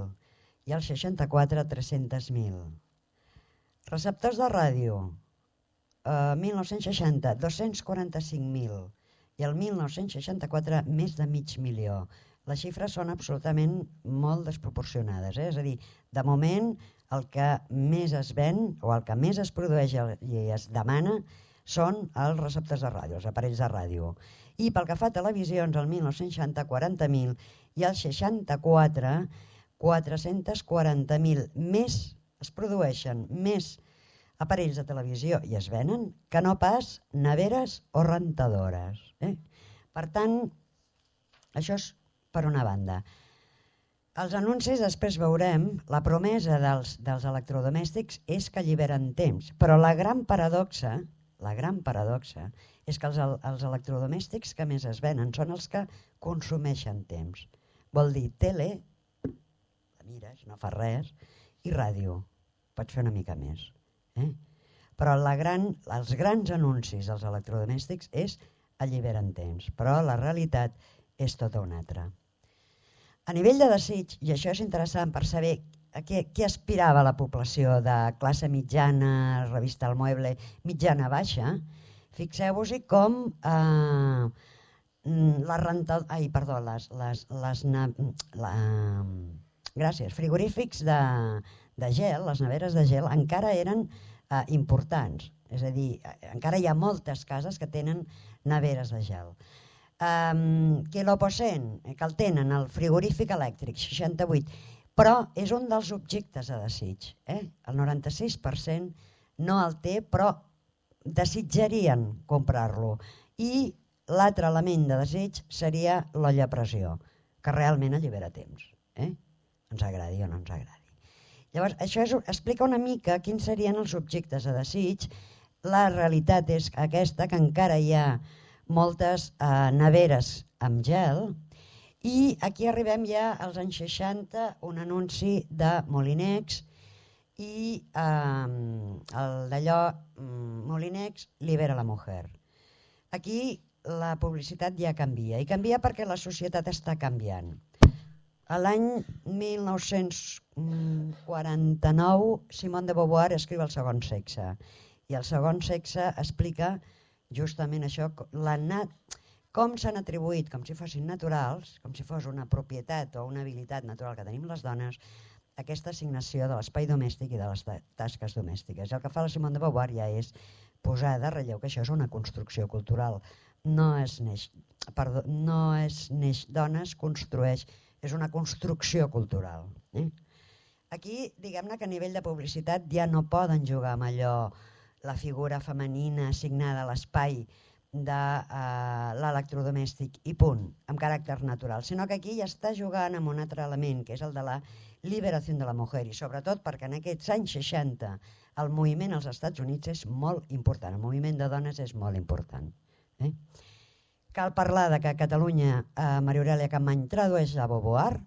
I el seixanta-quatre, tres-cents mil. Receptors de ràdio, eh, mil nou-cents seixanta, dos-cents quaranta-cinc mil. I el mil nou-cents seixanta-quatre, més de mig milió. Les xifres són absolutament molt desproporcionades. Eh? És a dir, de moment el que més es ven o el que més es produeix i es demana són els receptors de ràdio, els aparells de ràdio. I pel que fa a televisions, el mil nou-cents seixanta, quaranta mil, i el seixanta-quatre, quatre-cents quaranta mil. Més es produeixen més aparells de televisió i es venen que no pas neveres o rentadores. Eh? Per tant, això és per una banda. Els anuncis, després veurem, la promesa dels, dels electrodomèstics és que alliberen temps, però la gran paradoxa, la gran paradoxa és que els, els electrodomèstics que més es venen són els que consumeixen temps. Vol dir tele, la mires, no fa res, i ràdio, pots fer una mica més. Eh? Però la gran, els grans anuncis dels electrodomèstics és alliberen temps, però la realitat és tota una altra. A nivell de desig, i això és interessant per saber a què, què aspirava la població de classe mitjana, revista El Mueble, mitjana baixa, fixeu-vos-hi com eh, la renta, ai, perdó, les, les, les na, la, gràcies, frigorífics de, de gel, les neveres de gel, encara eren eh, importants. És a dir, encara hi ha moltes cases que tenen neveres de gel. Um, que l'Opocent, que el tenen, el frigorífic elèctric, seixanta-vuit, però és un dels objectes de desig. Eh? El noranta-sis per cent no el té, però desitjarien comprar-lo. I l'altre element de desig seria l'olla a pressió, que realment allibera temps. Eh? Ens agradi o no ens agradi. Llavors, això és, explica una mica quins serien els objectes de desig. La realitat és aquesta, que encara hi ha moltes eh, neveres amb gel, i aquí arribem ja als anys seixanta, un anunci de Molinex i eh, el d'allò Molinex libera la mujer. Aquí la publicitat ja canvia, i canvia perquè la societat està canviant. L'any mil nou-cents quaranta-nou Simone de Beauvoir escriu El segon sexe, i El segon sexe explica justament això, la nat... com s'han atribuït, com si fossin naturals, com si fos una propietat o una habilitat natural que tenim les dones, aquesta assignació de l'espai domèstic i de les tasques domèstiques. I el que fa la Simone de Beauvoir ja és posar de relleu que això és una construcció cultural. No es neix, perdó, no es neix dona, es construeix, és una construcció cultural. Eh? Aquí, diguem-ne que a nivell de publicitat ja no poden jugar amb allò, la figura femenina assignada a l'espai de uh, l'electrodomèstic i punt, amb caràcter natural, sinó que aquí ja està jugant amb un altre element, que és el de la liberació de la mujer, i sobretot perquè en aquests anys seixanta el moviment als Estats Units és molt important, el moviment de dones és molt important. Eh? Cal parlar de que a Catalunya eh, Maria Aurèlia Capmany tradueix a Beauvoir,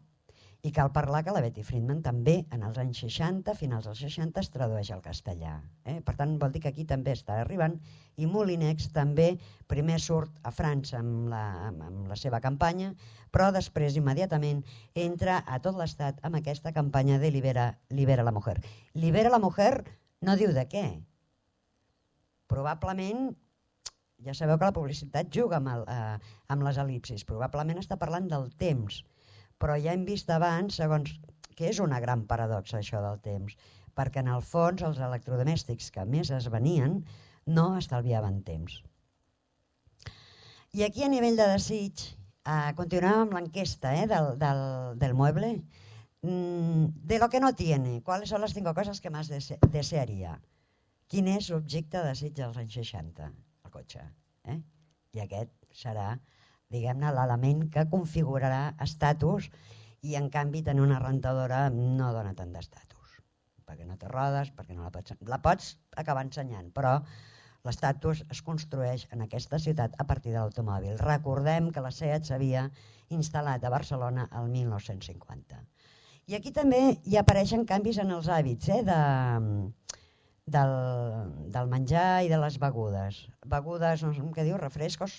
i cal parlar que la Betty Friedman també en els anys seixanta, finals dels seixanta, es tradueix al castellà. Eh? Per tant, vol dir que aquí també està arribant, i Molinex també primer surt a França amb la, amb la seva campanya, però després immediatament entra a tot l'estat amb aquesta campanya de Libera, Libera la Mujer. Libera la Mujer no diu de què. Probablement, ja sabeu que la publicitat juga amb, el, eh, amb les el·lipsis, probablement està parlant del temps, però ja hem vist abans, segons, que és una gran paradoxa això del temps, perquè en el fons els electrodomèstics que més es venien no estalviaven temps. I aquí a nivell de desig, eh, continuem amb l'enquesta eh, del, del, del mueble, mm, de lo que no tiene, ¿cuáles son las cinco cosas que más dese desearía? Quin és l'objecte de desig dels anys seixanta? El cotxe. Eh? I aquest serà, diguem-ne, l'element que configurarà estatus, i en canvi tenir una rentadora no dona tant d'estatus, perquè no té rodes, perquè no la pots, la pots acabar ensenyant, però l'estatus es construeix en aquesta ciutat a partir de l'automòbil. Recordem que la SEAT s'havia instal·lat a Barcelona el mil nou-cents cinquanta. I aquí també hi apareixen canvis en els hàbits eh, de, del, del menjar i de les begudes. Begudes, no sé què diu, refrescos,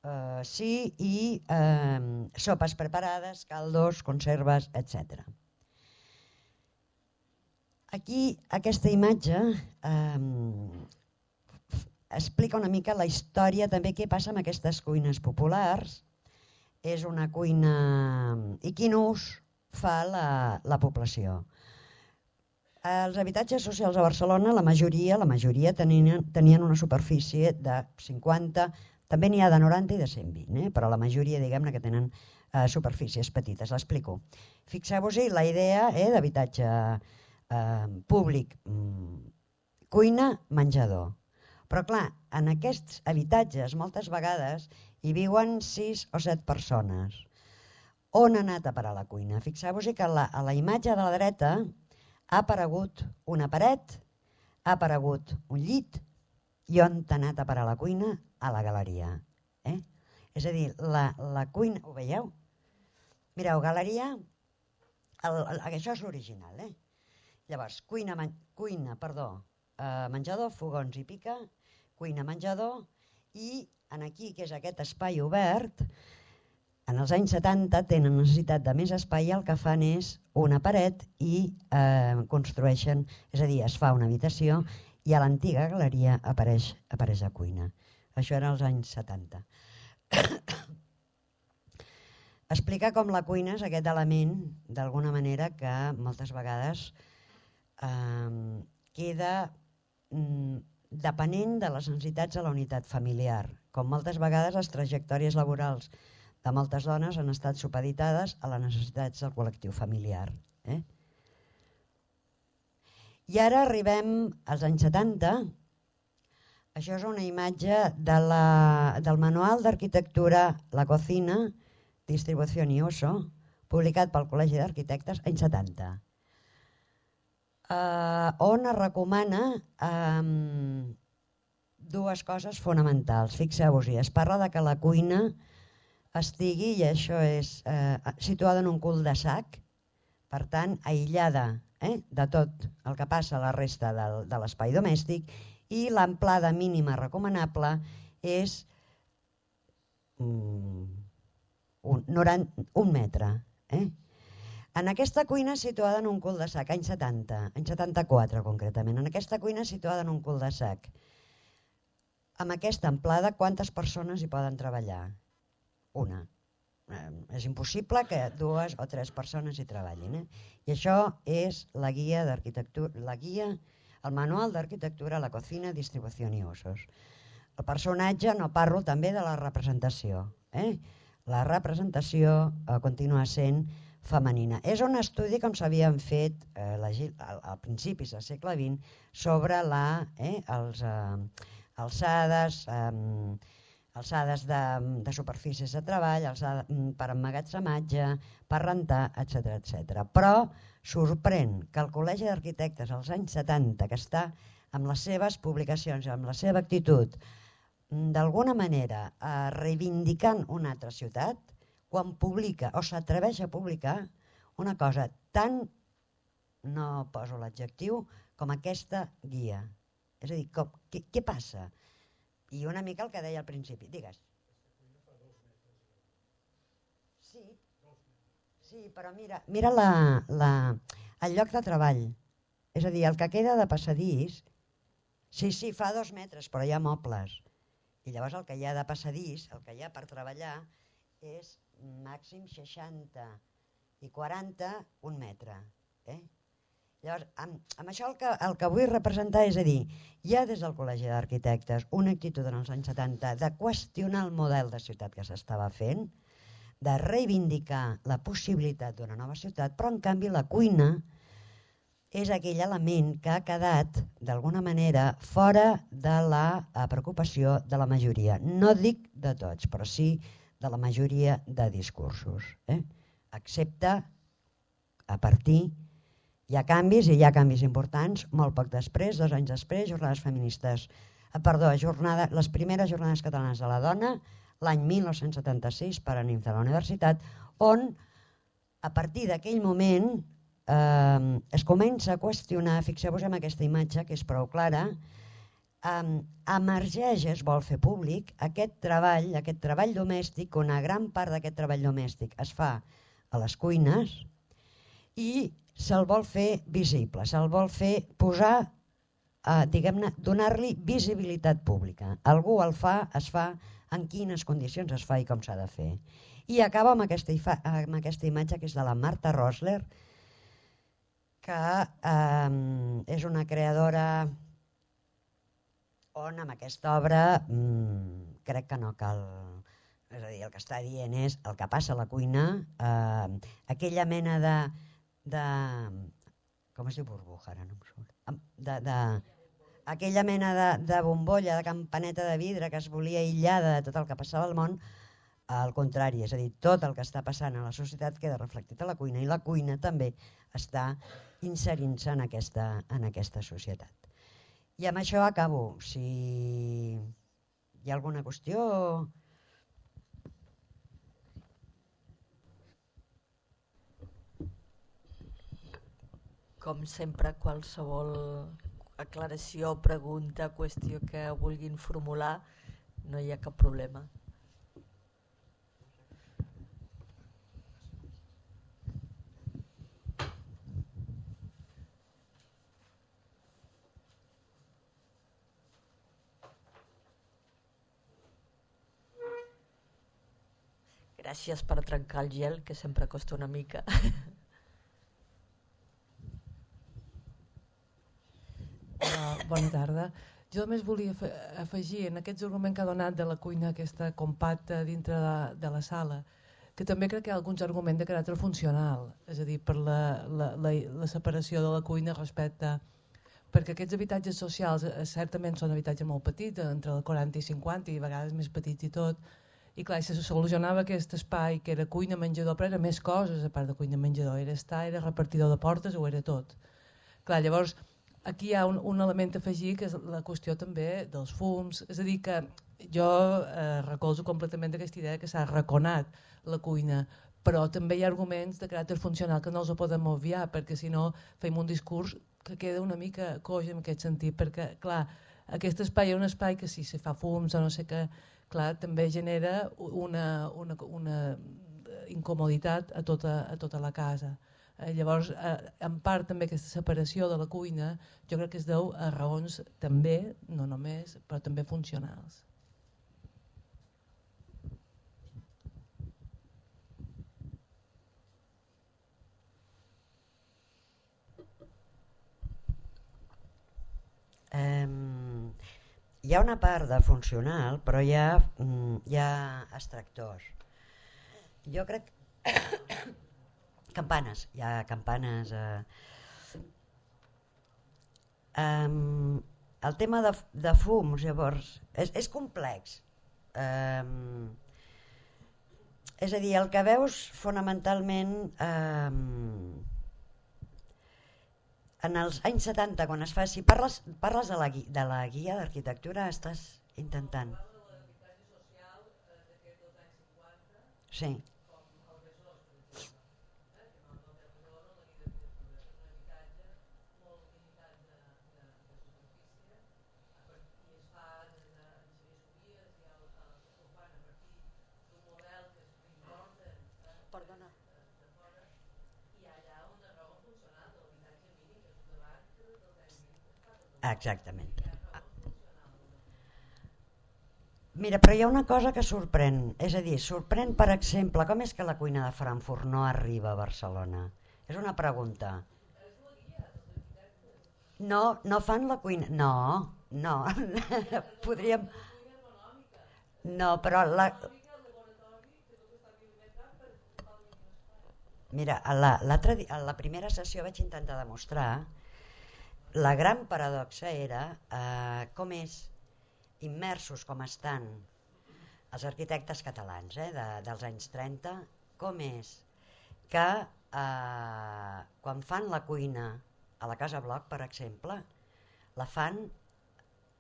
Uh, sí, i uh, sopes preparades, caldos, conserves, etcètera. Aquí, aquesta imatge um, explica una mica la història també què passa amb aquestes cuines populars. És una cuina i quin ús fa la, la població. Els habitatges socials a Barcelona, la majoria, la majoria tenien, tenien una superfície de cinquanta, també n'hi ha de noranta i de cent vint, eh? Però la majoria, diguem-ne, que tenen eh, superfícies petites. L'explico. Fixeu-vos-hi la idea eh, d'habitatge eh, públic, mm, cuina, menjador. Però clar, en aquests habitatges moltes vegades hi viuen sis o set persones. On ha anat a parar la cuina? Fixeu-vos-hi que la, a la imatge de la dreta ha aparegut una paret, ha aparegut un llit, i on t'ha anat a parar la cuina? A la galeria. Eh? És a dir, la, la cuina... Ho veieu? Mireu, galeria... El, el, això és l'original. Eh? Llavors, cuina, man, cuina perdó, eh, menjador, fogons i pica, cuina, menjador, i en aquí, que és aquest espai obert, en els anys setanta tenen necessitat de més espai i el que fan és una paret i eh, construeixen, és a dir, es fa una habitació i a l'antiga galeria apareix, apareix la cuina. Això era als anys setanta. Explicar com la cuina és aquest element, d'alguna manera, que moltes vegades eh, queda mm, depenent de les necessitats de la unitat familiar. Com moltes vegades les trajectòries laborals de moltes dones han estat supeditades a les necessitats del col·lectiu familiar. Eh? I ara arribem als anys setanta. Això és una imatge de la, del manual d'arquitectura La Cocina, Distribució i Uso, publicat pel Col·legi d'Arquitectes anys setanta, eh, on es recomana eh, dues coses fonamentals. Fixeu-vos-hi, es parla de que la cuina estigui, i això és, eh, situada en un cul-de-sac, per tant, aïllada eh, de tot el que passa a la resta del, de l'espai domèstic, i l'amplada mínima recomanable és mm, un, noranta, un metre. Eh? En aquesta cuina situada en un cul-de-sac, anys setanta, anys setanta-quatre concretament, en aquesta cuina situada en un cul-de-sac, amb aquesta amplada, quantes persones hi poden treballar? Una. Eh, és impossible que dues o tres persones hi treballin. Eh? I això és la guia d'arquitectura, la guia, el manual d'arquitectura, La Cocina, Distribució i Usos. El personatge, no parlo també de la representació. Eh? La representació eh, continua sent femenina. És un estudi com s'havien fet eh, la, al, al principis del segle vint sobre la, eh, els, eh, alçades, eh, alçades de, de superfícies de treball, alçada, per emmagatzematge, per rentar, etcètera, etcètera. Però sorprèn que el Col·legi d'Arquitectes als anys setanta, que està amb les seves publicacions, amb la seva actitud d'alguna manera eh, reivindicant una altra ciutat quan publica o s'atreveix a publicar una cosa tan, no poso l'adjectiu, com aquesta guia. És a dir, com, què, què passa? I una mica el que deia al principi. Digues. Sí, sí, però mira, mira la, la, el lloc de treball. És a dir, el que queda de passadís, sí, sí, fa dos metres, però hi ha mobles. I llavors el que hi ha de passadís, el que hi ha per treballar, és màxim seixanta i quaranta, un metre. Eh? Llavors, amb, amb això el que, el que vull representar és a dir, hi ha des del Col·legi d'Arquitectes una actitud en els anys setanta de qüestionar el model de ciutat que s'estava fent, de reivindicar la possibilitat d'una nova ciutat, però en canvi la cuina és aquell element que ha quedat d'alguna manera fora de la preocupació de la majoria. No dic de tots, però sí de la majoria de discursos. Eh? Excepte a partir, hi ha canvis i hi ha canvis importants, molt poc després, dos anys després, jornades feministes, eh, perdó, jornada, les primeres jornades catalanes de la dona, l'any mil nou-cents setanta-sis per a N I M C de la universitat, on a partir d'aquell moment eh, es comença a qüestionar, fixeu-vos en aquesta imatge que és prou clara, eh, emergeix, es vol fer públic, aquest treball, aquest treball domèstic, una gran part d'aquest treball domèstic es fa a les cuines i se'l vol fer visible, se'l vol fer posar, eh, diguem-ne, donar-li visibilitat pública. Algú el fa, es fa, en quines condicions es fa i com s'ha de fer. I acaba amb aquesta, amb aquesta imatge que és de la Marta Rosler, que eh, és una creadora on amb aquesta obra mmm, crec que no cal, és a dir, el que està dient és el que passa a la cuina, eh, aquella mena de, de, com es diu burbuja, ara no em surt, de, de, aquella mena de, de bombolla, de campaneta de vidre que es volia aïllar de tot el que passava al món, al contrari, és a dir, tot el que està passant a la societat queda reflectit a la cuina i la cuina també està inserint-se en aquesta, en aquesta societat. I amb això acabo. Si hi ha alguna qüestió... Com sempre, qualsevol aclaració, pregunta, qüestió que vulguin formular, no hi ha cap problema. Gràcies per trencar el gel, que sempre costa una mica. Uh, bona tarda. Jo només volia afegir en aquest argument que ha donat de la cuina aquesta compacta dintre de, de la sala, que també crec que hi ha alguns arguments de caràcter funcional, és a dir, per la, la, la, la separació de la cuina respecte... Perquè aquests habitatges socials eh, certament són habitatges molt petits, entre el quaranta i cinquanta i a vegades més petits i tot, i clar, se solucionava aquest espai que era cuina, menjador, però era més coses a part de cuina, menjador, era estar, era repartidor de portes o era tot. Clar, llavors, aquí hi ha un, un element a afegir que és la qüestió també dels fums, és a dir que jo eh, recolzo completament aquesta idea que s'ha arraconat la cuina, però també hi ha arguments de caràcter funcional que no els podem obviar, perquè si no fem un discurs que queda una mica coix en aquest sentit, perquè clar, aquest espai és un espai que si se fa fums o no sé què, clar, també genera una, una, una incomoditat a tota, a tota la casa. Eh, llavors, eh, en part també aquesta separació de la cuina jo crec que es deu a raons també, no només, però també funcionals. Um, hi ha una part de funcional, però hi ha, um, hi ha extractors. Jo crec... campanes, hi ha campanes... Uh, um, el tema de, de fums, llavors, és, és complex. Um, és a dir, el que veus fonamentalment... Um, en els anys setanta, quan es fa... Si parles, parles de, la, de la guia d'arquitectura, estàs intentant... Sí. Perdona. Exactament. Mira, però hi ha una cosa que sorprèn, és a dir, sorprèn, per exemple, com és que la cuina de Frankfurt no arriba a Barcelona? És una pregunta. No, no fan la cuina... No, no, podríem... No, però la... Mira, a la, di- a la primera sessió vaig intentar demostrar la gran paradoxa era eh, com és immersos com estan els arquitectes catalans eh, de, dels anys trenta, com és que eh, quan fan la cuina a la Casa Bloc, per exemple, la fan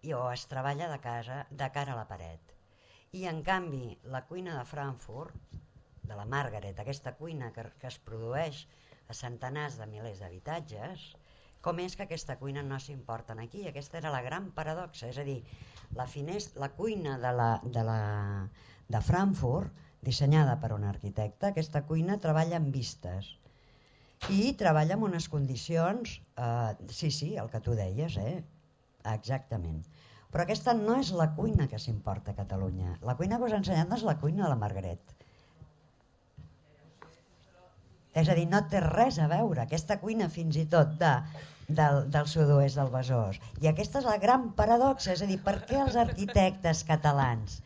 i, o es treballa de, casa, de cara a la paret. I en canvi la cuina de Frankfurt, de la Margaret, aquesta cuina que, que es produeix a centenars de milers d'habitatges, com és que aquesta cuina no s'importen aquí? Aquesta era la gran paradoxa, és a dir, la, finest, la cuina de, la, de, la, de Frankfurt, dissenyada per un arquitecte, aquesta cuina treballa amb vistes i treballa en unes condicions, eh, sí, sí, el que tu deies, eh? Exactament. Però aquesta no és la cuina que s'importa a Catalunya. La cuina que us he ensenyat no és la cuina de la Margaret. És a dir, no té res a veure, aquesta cuina fins i tot de, del, del sud-oest del Besòs. I aquesta és la gran paradoxa, és a dir, per què els arquitectes catalans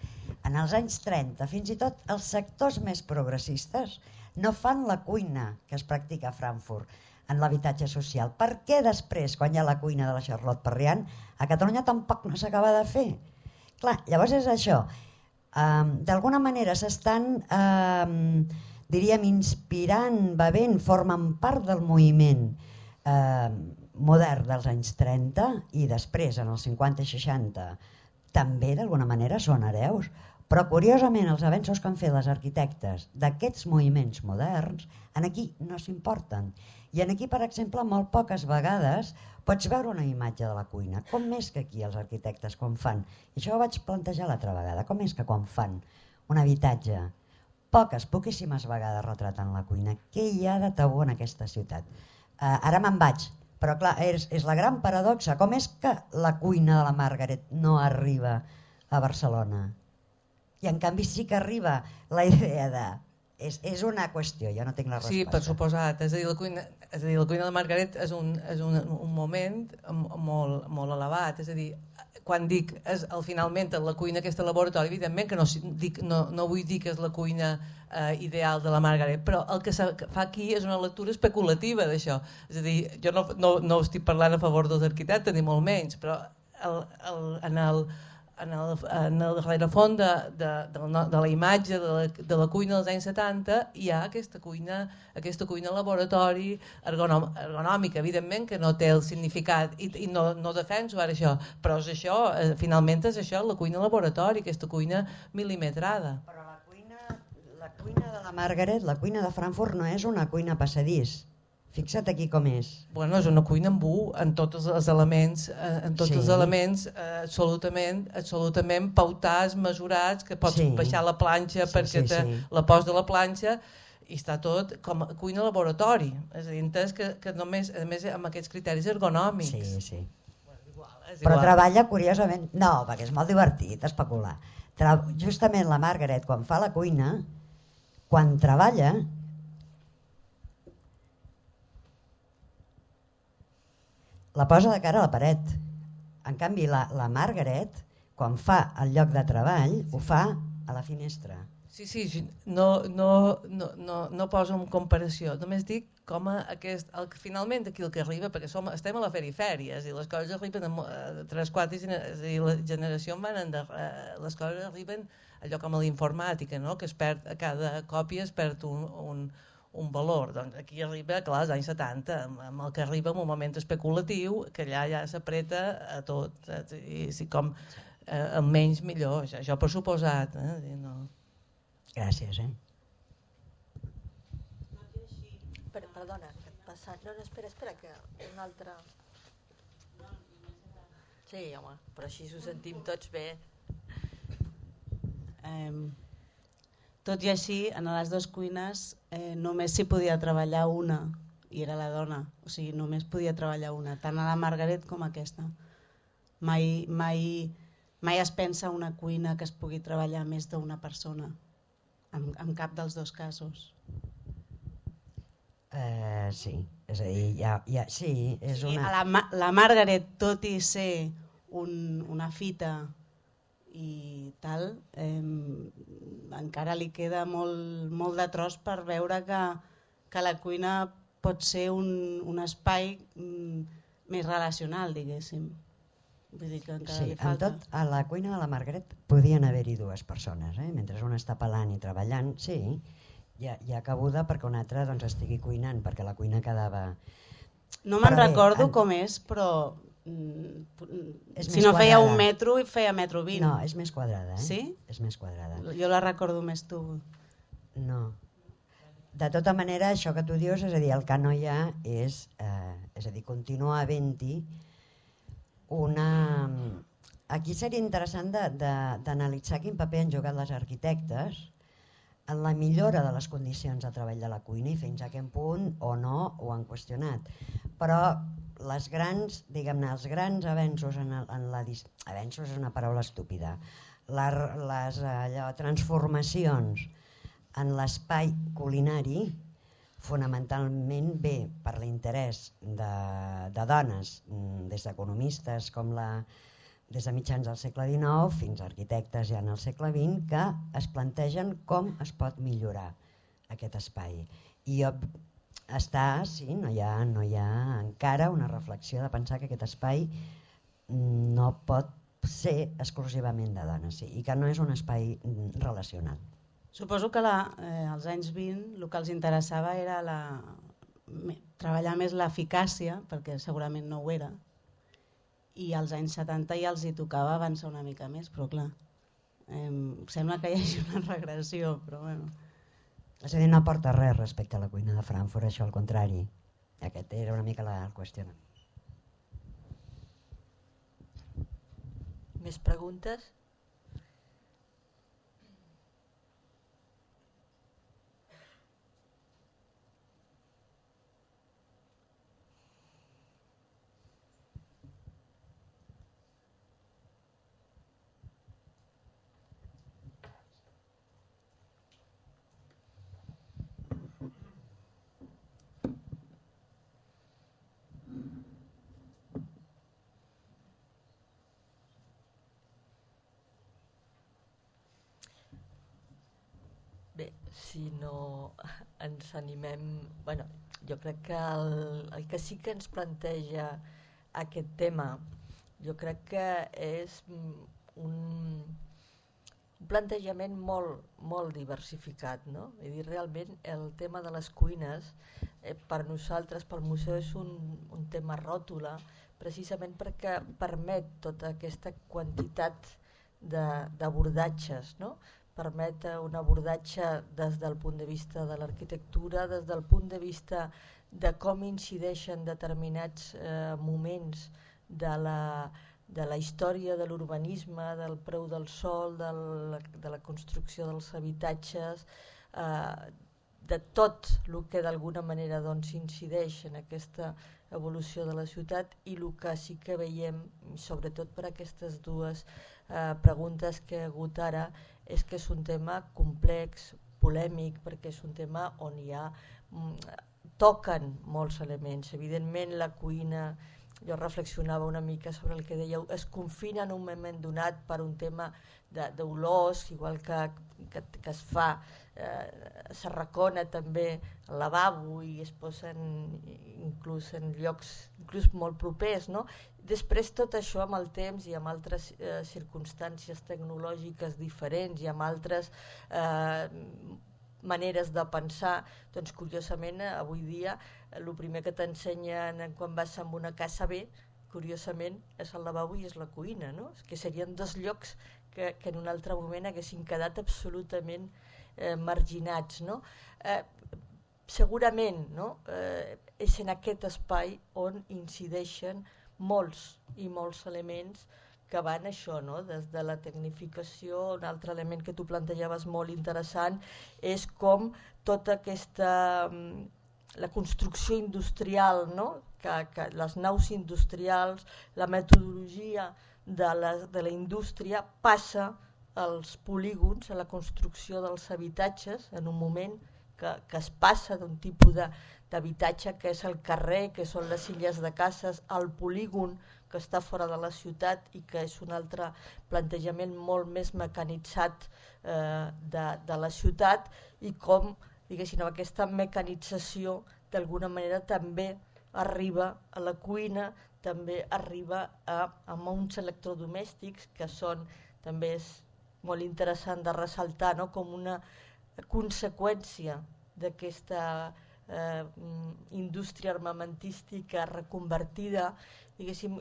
en els anys trenta, fins i tot els sectors més progressistes, no fan la cuina que es practica a Frankfurt en l'habitatge social? Per què després, quan hi ha la cuina de la Charlotte Perriand, a Catalunya tampoc no s'acaba de fer? Clar, llavors és això. Um, D'alguna manera s'estan... Um, diríem, inspirant, bevent, formen part del moviment eh, modern dels anys trenta i després, en els cinquanta i seixanta, també d'alguna manera són hereus. Però, curiosament, els avenços que han fet les arquitectes d'aquests moviments moderns, en aquí no s'importen. I en aquí, per exemple, molt poques vegades pots veure una imatge de la cuina. Com és que aquí els arquitectes, quan fan, i això ho vaig plantejar l'altra vegada, com és que quan fan un habitatge, poques, poquíssimes vegades retraten la cuina? Què hi ha de tabú en aquesta ciutat? Uh, ara me'n vaig, però clar, és, és la gran paradoxa. Com és que la cuina de la Margaret no arriba a Barcelona? I en canvi sí que arriba la idea de... És, és una qüestió, jo no tinc la resposta. Sí, per suposat. És a dir, la cuina, és a dir, la cuina de la Margaret és un, és un, un moment molt, molt elevat. És a dir, quan dic és, el, finalment la cuina aquesta laboratori, evidentment que no, dic, no, no vull dir que és la cuina eh, ideal de la Margaret, però el que fa aquí és una lectura especulativa d'això. És a dir, jo no, no, no estic parlant a favor dels arquitectes ni molt menys, però el, el, en el en el, en el rerefons de, de, de, la, de la imatge de la, de la cuina dels anys setanta hi ha aquesta cuina, aquesta cuina laboratori ergonom, ergonòmica, evidentment que no té el significat i, i no, no defenso ara això, però és això, eh, finalment és això, la cuina laboratori, aquesta cuina milimetrada. Però la cuina, la cuina de la Margaret, la cuina de Frankfurt no és una cuina passadís. Fixa't aquí com és. Bueno, és una cuina amb u, en tots els elements, en tots sí. els elements eh, absolutament, absolutament pautats, mesurats, que pots sí. baixar la planxa sí, perquè sí, sí. la pos de la planxa i està tot com a cuina laboratori. És a dir, entens que, que només, a més amb aquests criteris ergonòmics. Sí, sí. Bueno, igual, és Però igual. treballa curiosament... No, perquè és molt divertit especular. Tra... Justament la Margaret, quan fa la cuina, quan treballa... la posa de cara a la paret. En canvi, la, la Margaret, quan fa el lloc de treball, ho fa a la finestra. Sí, sí, no, no, no, no, no poso en comparació, només dic com a aquest, el, finalment aquí el que arriba, perquè som, estem a la perifèria, i les coses arriben a, a tres, quatre, és a dir, la generació van ender, les coses arriben allò com a la informàtica, no? Que es perd, a cada còpia es perd un, un un valor. Doncs aquí arriba, clar, als anys setanta, amb el que arriba en un moment especulatiu, que allà ja s'apreta a tot, saps? I si com eh, el menys millor, això, això per suposat. Eh? No. Gràcies, eh? Per, perdona, que et passa... No, no, espera, espera, que un altre... Sí, home, però així ho sentim tots bé. Eh, tot i així, en les dues cuines eh, només s'hi podia treballar una, i era la dona, o sigui, només podia treballar una, tant a la Margaret com a aquesta. Mai, mai, mai es pensa una cuina que es pugui treballar més d'una persona, en, en cap dels dos casos. Uh, sí, és a dir, ja, ja, sí, és sí, una... La, la Margaret, tot i ser un, una fita i tal, eh, encara li queda molt, molt de tros per veure que, que la cuina pot ser un, un espai mm, més relacional, diguéssim. Vull dir que encara sí, li falta. Tot, a la cuina de la Margaret podien haver-hi dues persones, eh? Mentre una està pelant i treballant, sí, hi ha, hi ha cabuda perquè una altra doncs, estigui cuinant, perquè la cuina quedava... No me'n recordo en... com és, però mm, és si no feia quadrada. un metro, feia metro vint. No, és més quadrada, eh? Sí? És més quadrada. Jo la recordo més tu. No. De tota manera, això que tu dius, és a dir, el que no hi ha és, eh, és a dir, continua havent-hi una... Aquí seria interessant d'analitzar quin paper han jugat les arquitectes en la millora de les condicions de treball de la cuina i fins a quin punt o no ho han qüestionat. Però les grans, diguem-ne, els grans avenços en, el, en la... Avenços és una paraula estúpida. La, les allò, transformacions en l'espai culinari fonamentalment ve per l'interès de, de dones, des d'economistes com la... des de mitjans del segle dinou fins a arquitectes ja en el segle vint, que es plantegen com es pot millorar aquest espai. I està, sí, no hi ha, no hi ha encara una reflexió de pensar que aquest espai no pot ser exclusivament de dones, sí, i que no és un espai relacional. Suposo que la, eh, als anys vint el que els interessava era la, me, treballar més l'eficàcia, perquè segurament no ho era, i als anys setanta ja els hi tocava avançar una mica més, però clar, eh, sembla que hi hagi una regressió, però bueno. És a dir, no aporta res respecte a la cuina de Frankfurt, això al contrari. Aquest era una mica la qüestió. Més preguntes? Bé, si no ens animem... Bueno, jo crec que el, el que sí que ens planteja aquest tema, jo crec que és un, un plantejament molt, molt diversificat, no? És dir, realment el tema de les cuines, eh, per nosaltres, pel museu, és un, un tema ròtula, precisament perquè permet tota aquesta quantitat d'abordatges, no? Permet un abordatge des del punt de vista de l'arquitectura, des del punt de vista de com incideixen determinats eh, moments de la, de la història de l'urbanisme, del preu del sòl, del, de la construcció dels habitatges, eh, de tot el que d'alguna manera doncs, incideix en aquesta evolució de la ciutat, i el que sí que veiem, sobretot per aquestes dues eh, preguntes que hi ha hagut ara, és que és un tema complex, polèmic, perquè és un tema on hi ha, toquen molts elements. Evidentment la cuina, jo reflexionava una mica sobre el que dèieu, es confina en un moment donat per un tema d'olors, igual que, que, que es fa, eh, s'arracona també el lavabo i es posen inclús en llocs inclús molt propers, no? Després tot això amb el temps i amb altres eh, circumstàncies tecnològiques diferents i amb altres eh, maneres de pensar, doncs curiosament avui dia el primer que t'ensenyen quan vas a una casa bé, curiosament, és el lavabo i és la cuina, no? Que serien dos llocs que, que en un altre moment haguessin quedat absolutament eh, marginats, no? Eh, segurament no? eh, és en aquest espai on incideixen molts i molts elements que van això, no? Des de la tecnificació. Un altre element que tu plantejaves molt interessant és com tota aquesta, la construcció industrial, no? que, que les naus industrials, la metodologia de la, de la indústria passa als polígons, a la construcció dels habitatges, en un moment que, que es passa d'un tipus d'habitatge que és el carrer, que són les illes de cases, al polígon que està fora de la ciutat i que és un altre plantejament molt més mecanitzat eh, de, de la ciutat, i com, diguéssim, aquesta mecanització d'alguna manera també arriba a la cuina, també arriba a, a uns electrodomèstics que són, també és molt interessant de ressaltar, no? Com una conseqüència d'aquesta eh, indústria armamentística reconvertida, diguéssim,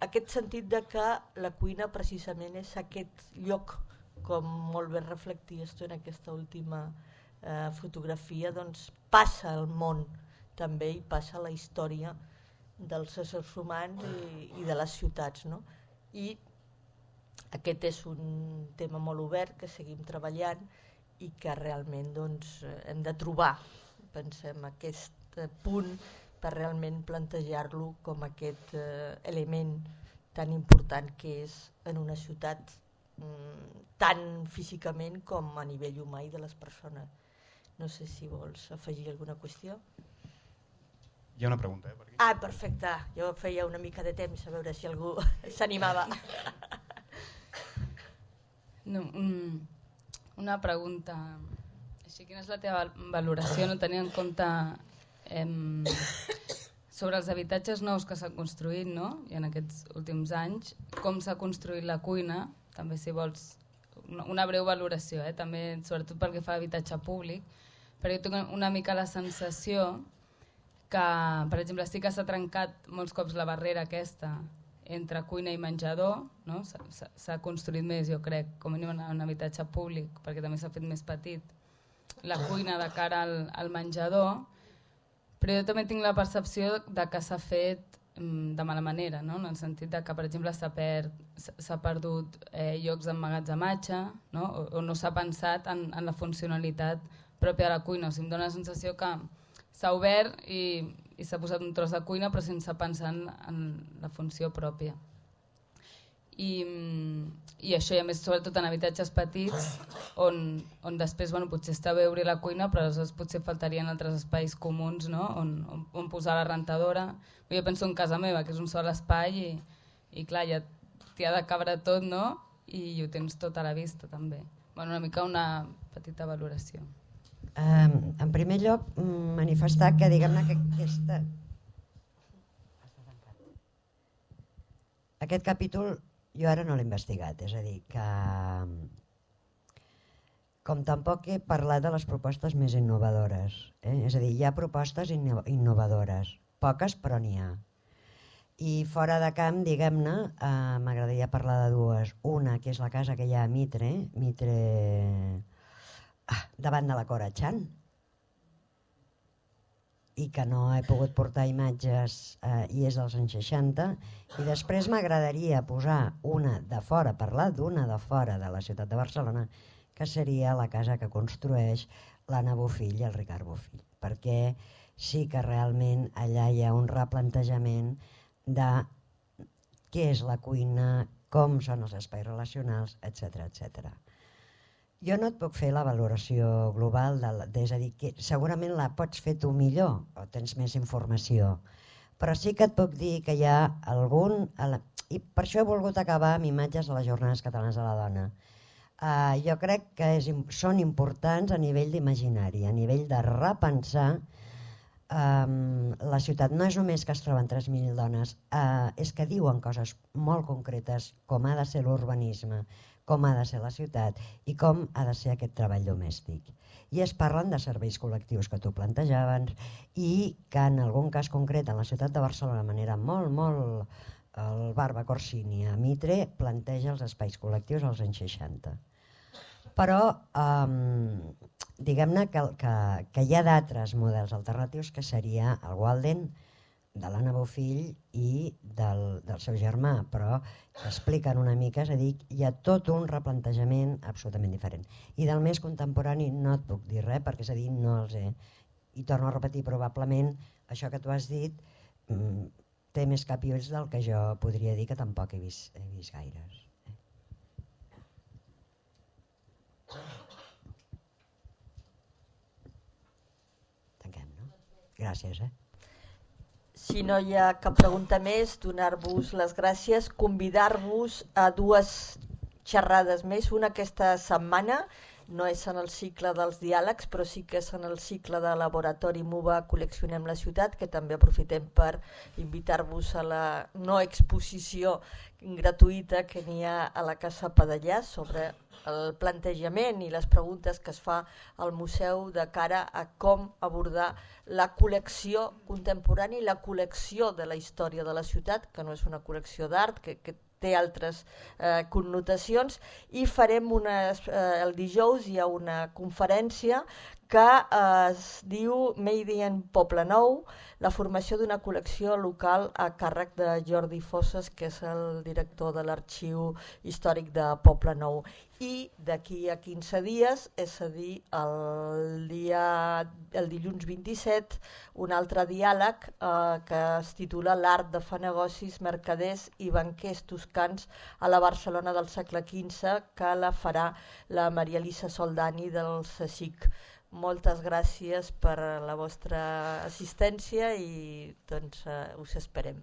aquest sentit de que la cuina precisament és aquest lloc, com molt ben reflecties tu en aquesta última eh, fotografia, doncs passa al món també i passa la història dels éssers humans i, i de les ciutats, no? I aquest és un tema molt obert que seguim treballant i que realment doncs, hem de trobar, pensem, aquest punt per realment plantejar-lo com aquest eh, element tan important que és en una ciutat mm, tant físicament com a nivell humà i de les persones. No sé si vols afegir alguna qüestió. Hi ha una pregunta, eh, per aquí. Ah, perfecte. Jo feia una mica de temps a veure si algú s'animava. No, un, una pregunta. Així, quina és la teva valoració, no tenint en compte eh, sobre els habitatges nous que s'han construït, no? I en aquests últims anys, com s'ha construït la cuina, també si vols una, una breu valoració, eh? També, sobretot pel que fa a habitatge públic, perquè jo tinc una mica la sensació que, per exemple, sí que s'ha trencat molts cops la barrera aquesta entre cuina i menjador, no? S'ha construït més, jo crec, com a mínim en un habitatge públic, perquè també s'ha fet més petit, la cuina de cara al, al menjador, però jo també tinc la percepció de que s'ha fet mm, de mala manera, no? En el sentit de que, per exemple, s'ha per, perdut eh, llocs d'emmagatzematge, no? O, o no s'ha pensat en, en la funcionalitat pròpia de la cuina. O sigui, em dóna la sensació que s'ha obert i, i s'ha posat un tros de cuina però sense pensar en, en la funció pròpia. I, i això, i a més, sobretot en habitatges petits, on, on després bueno, potser està bé obrir la cuina, però aleshores potser faltarien altres espais comuns, no? on, on, on posar la rentadora. Jo penso en casa meva, que és un sol espai, i, i clar, ja t'hi ha de cabre tot, no? I ho tens tot a la vista, també. Bueno, una mica una petita valoració. Um, en primer lloc, manifestar que, diguem-ne, que aquesta... aquest capítol jo ara no l'he investigat, és a dir, que com tampoc he parlat de les propostes més innovadores, eh? És a dir, hi ha propostes inno innovadores, poques però n'hi ha. I fora de camp, diguem-ne, eh, m'agradaria parlar de dues. Una, que és la casa que hi ha a Mitre, Mitre ah, davant de la Cora Chan, i que no he pogut portar imatges eh, i és dels anys seixanta, i després m'agradaria posar una de fora, parlar d'una de fora de la ciutat de Barcelona, que seria la casa que construeix l'Anna Bofill i el Ricard Bofill, perquè sí que realment allà hi ha un replantejament de què és la cuina, com són els espais relacionals, etcètera, etcètera. Jo no et puc fer la valoració global, de la, és a dir, que segurament la pots fer tu millor o tens més informació, però sí que et puc dir que hi ha algun... I per això he volgut acabar amb imatges de les Jornades Catalanes de la Dona. Uh, jo crec que és, són importants a nivell d'imaginari, a nivell de repensar um, la ciutat. No és només que es troben tres mil dones, uh, és que diuen coses molt concretes, com ha de ser l'urbanisme, com ha de ser la ciutat i com ha de ser aquest treball domèstic. I es parlen de serveis col·lectius que tu plantejaves i que en algun cas concret en la ciutat de Barcelona de manera molt, molt... el Barba Corsini a Mitre planteja els espais col·lectius als anys seixanta. Però um, diguem-ne que, que, que hi ha d'altres models alternatius que seria el Walden, de l'Anna Bofill i del, del seu germà, però expliquen una mica, és a dir, hi ha tot un replantejament absolutament diferent. I del més contemporani no et puc dir res, perquè és a dir, no els he... I torno a repetir, probablement això que tu has dit mm, té més cap i ulls del que jo podria dir, que tampoc he vist, he vist gaires. Tanquem, no? Gràcies, eh? Si no hi ha cap pregunta més, donar-vos les gràcies, convidar-vos a dues xerrades més, una aquesta setmana, no és en el cicle dels diàlegs, però sí que és en el cicle de laboratori MUVA Col·leccionem la ciutat, que també aprofitem per invitar-vos a la no exposició gratuïta que n'hi ha a la Casa Padellà sobre el plantejament i les preguntes que es fa al museu de cara a com abordar la col·lecció contemporània i la col·lecció de la història de la ciutat, que no és una col·lecció d'art, que, que té altres eh, connotacions, i farem unes, eh, el dijous hi ha una conferència que eh, es diu Made in Poble Nou, la formació d'una col·lecció local a càrrec de Jordi Fosses, que és el director de l'Arxiu Històric de Poble Nou. I d'aquí a quinze dies, és a dir, el, dia, el dilluns vint-i-set, un altre diàleg eh, que es titula L'art de fer negocis, mercaders i banquers toscans a la Barcelona del segle quinze, que la farà la Maria Elisa Soldani del CSIC. Moltes gràcies per la vostra assistència i doncs, eh, us esperem.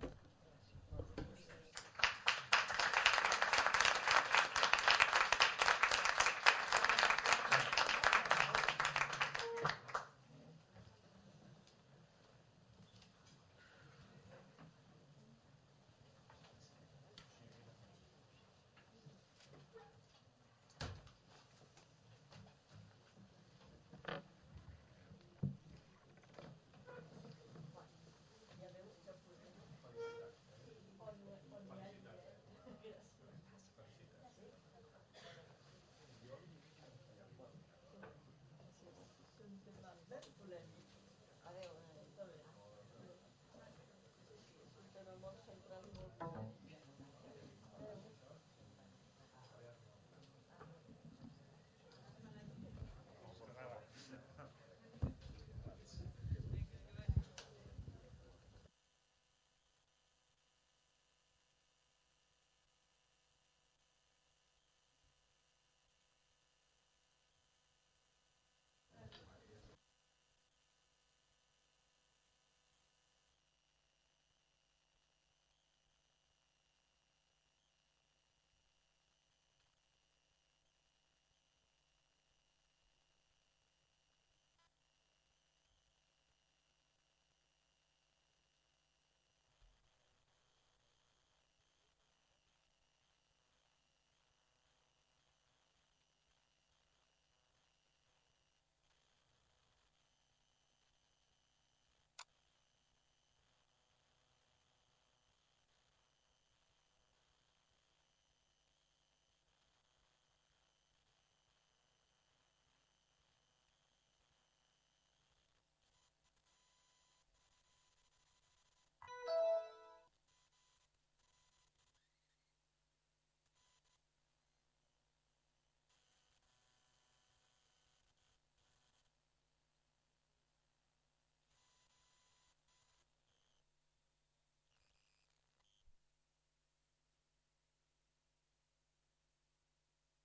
Adéu.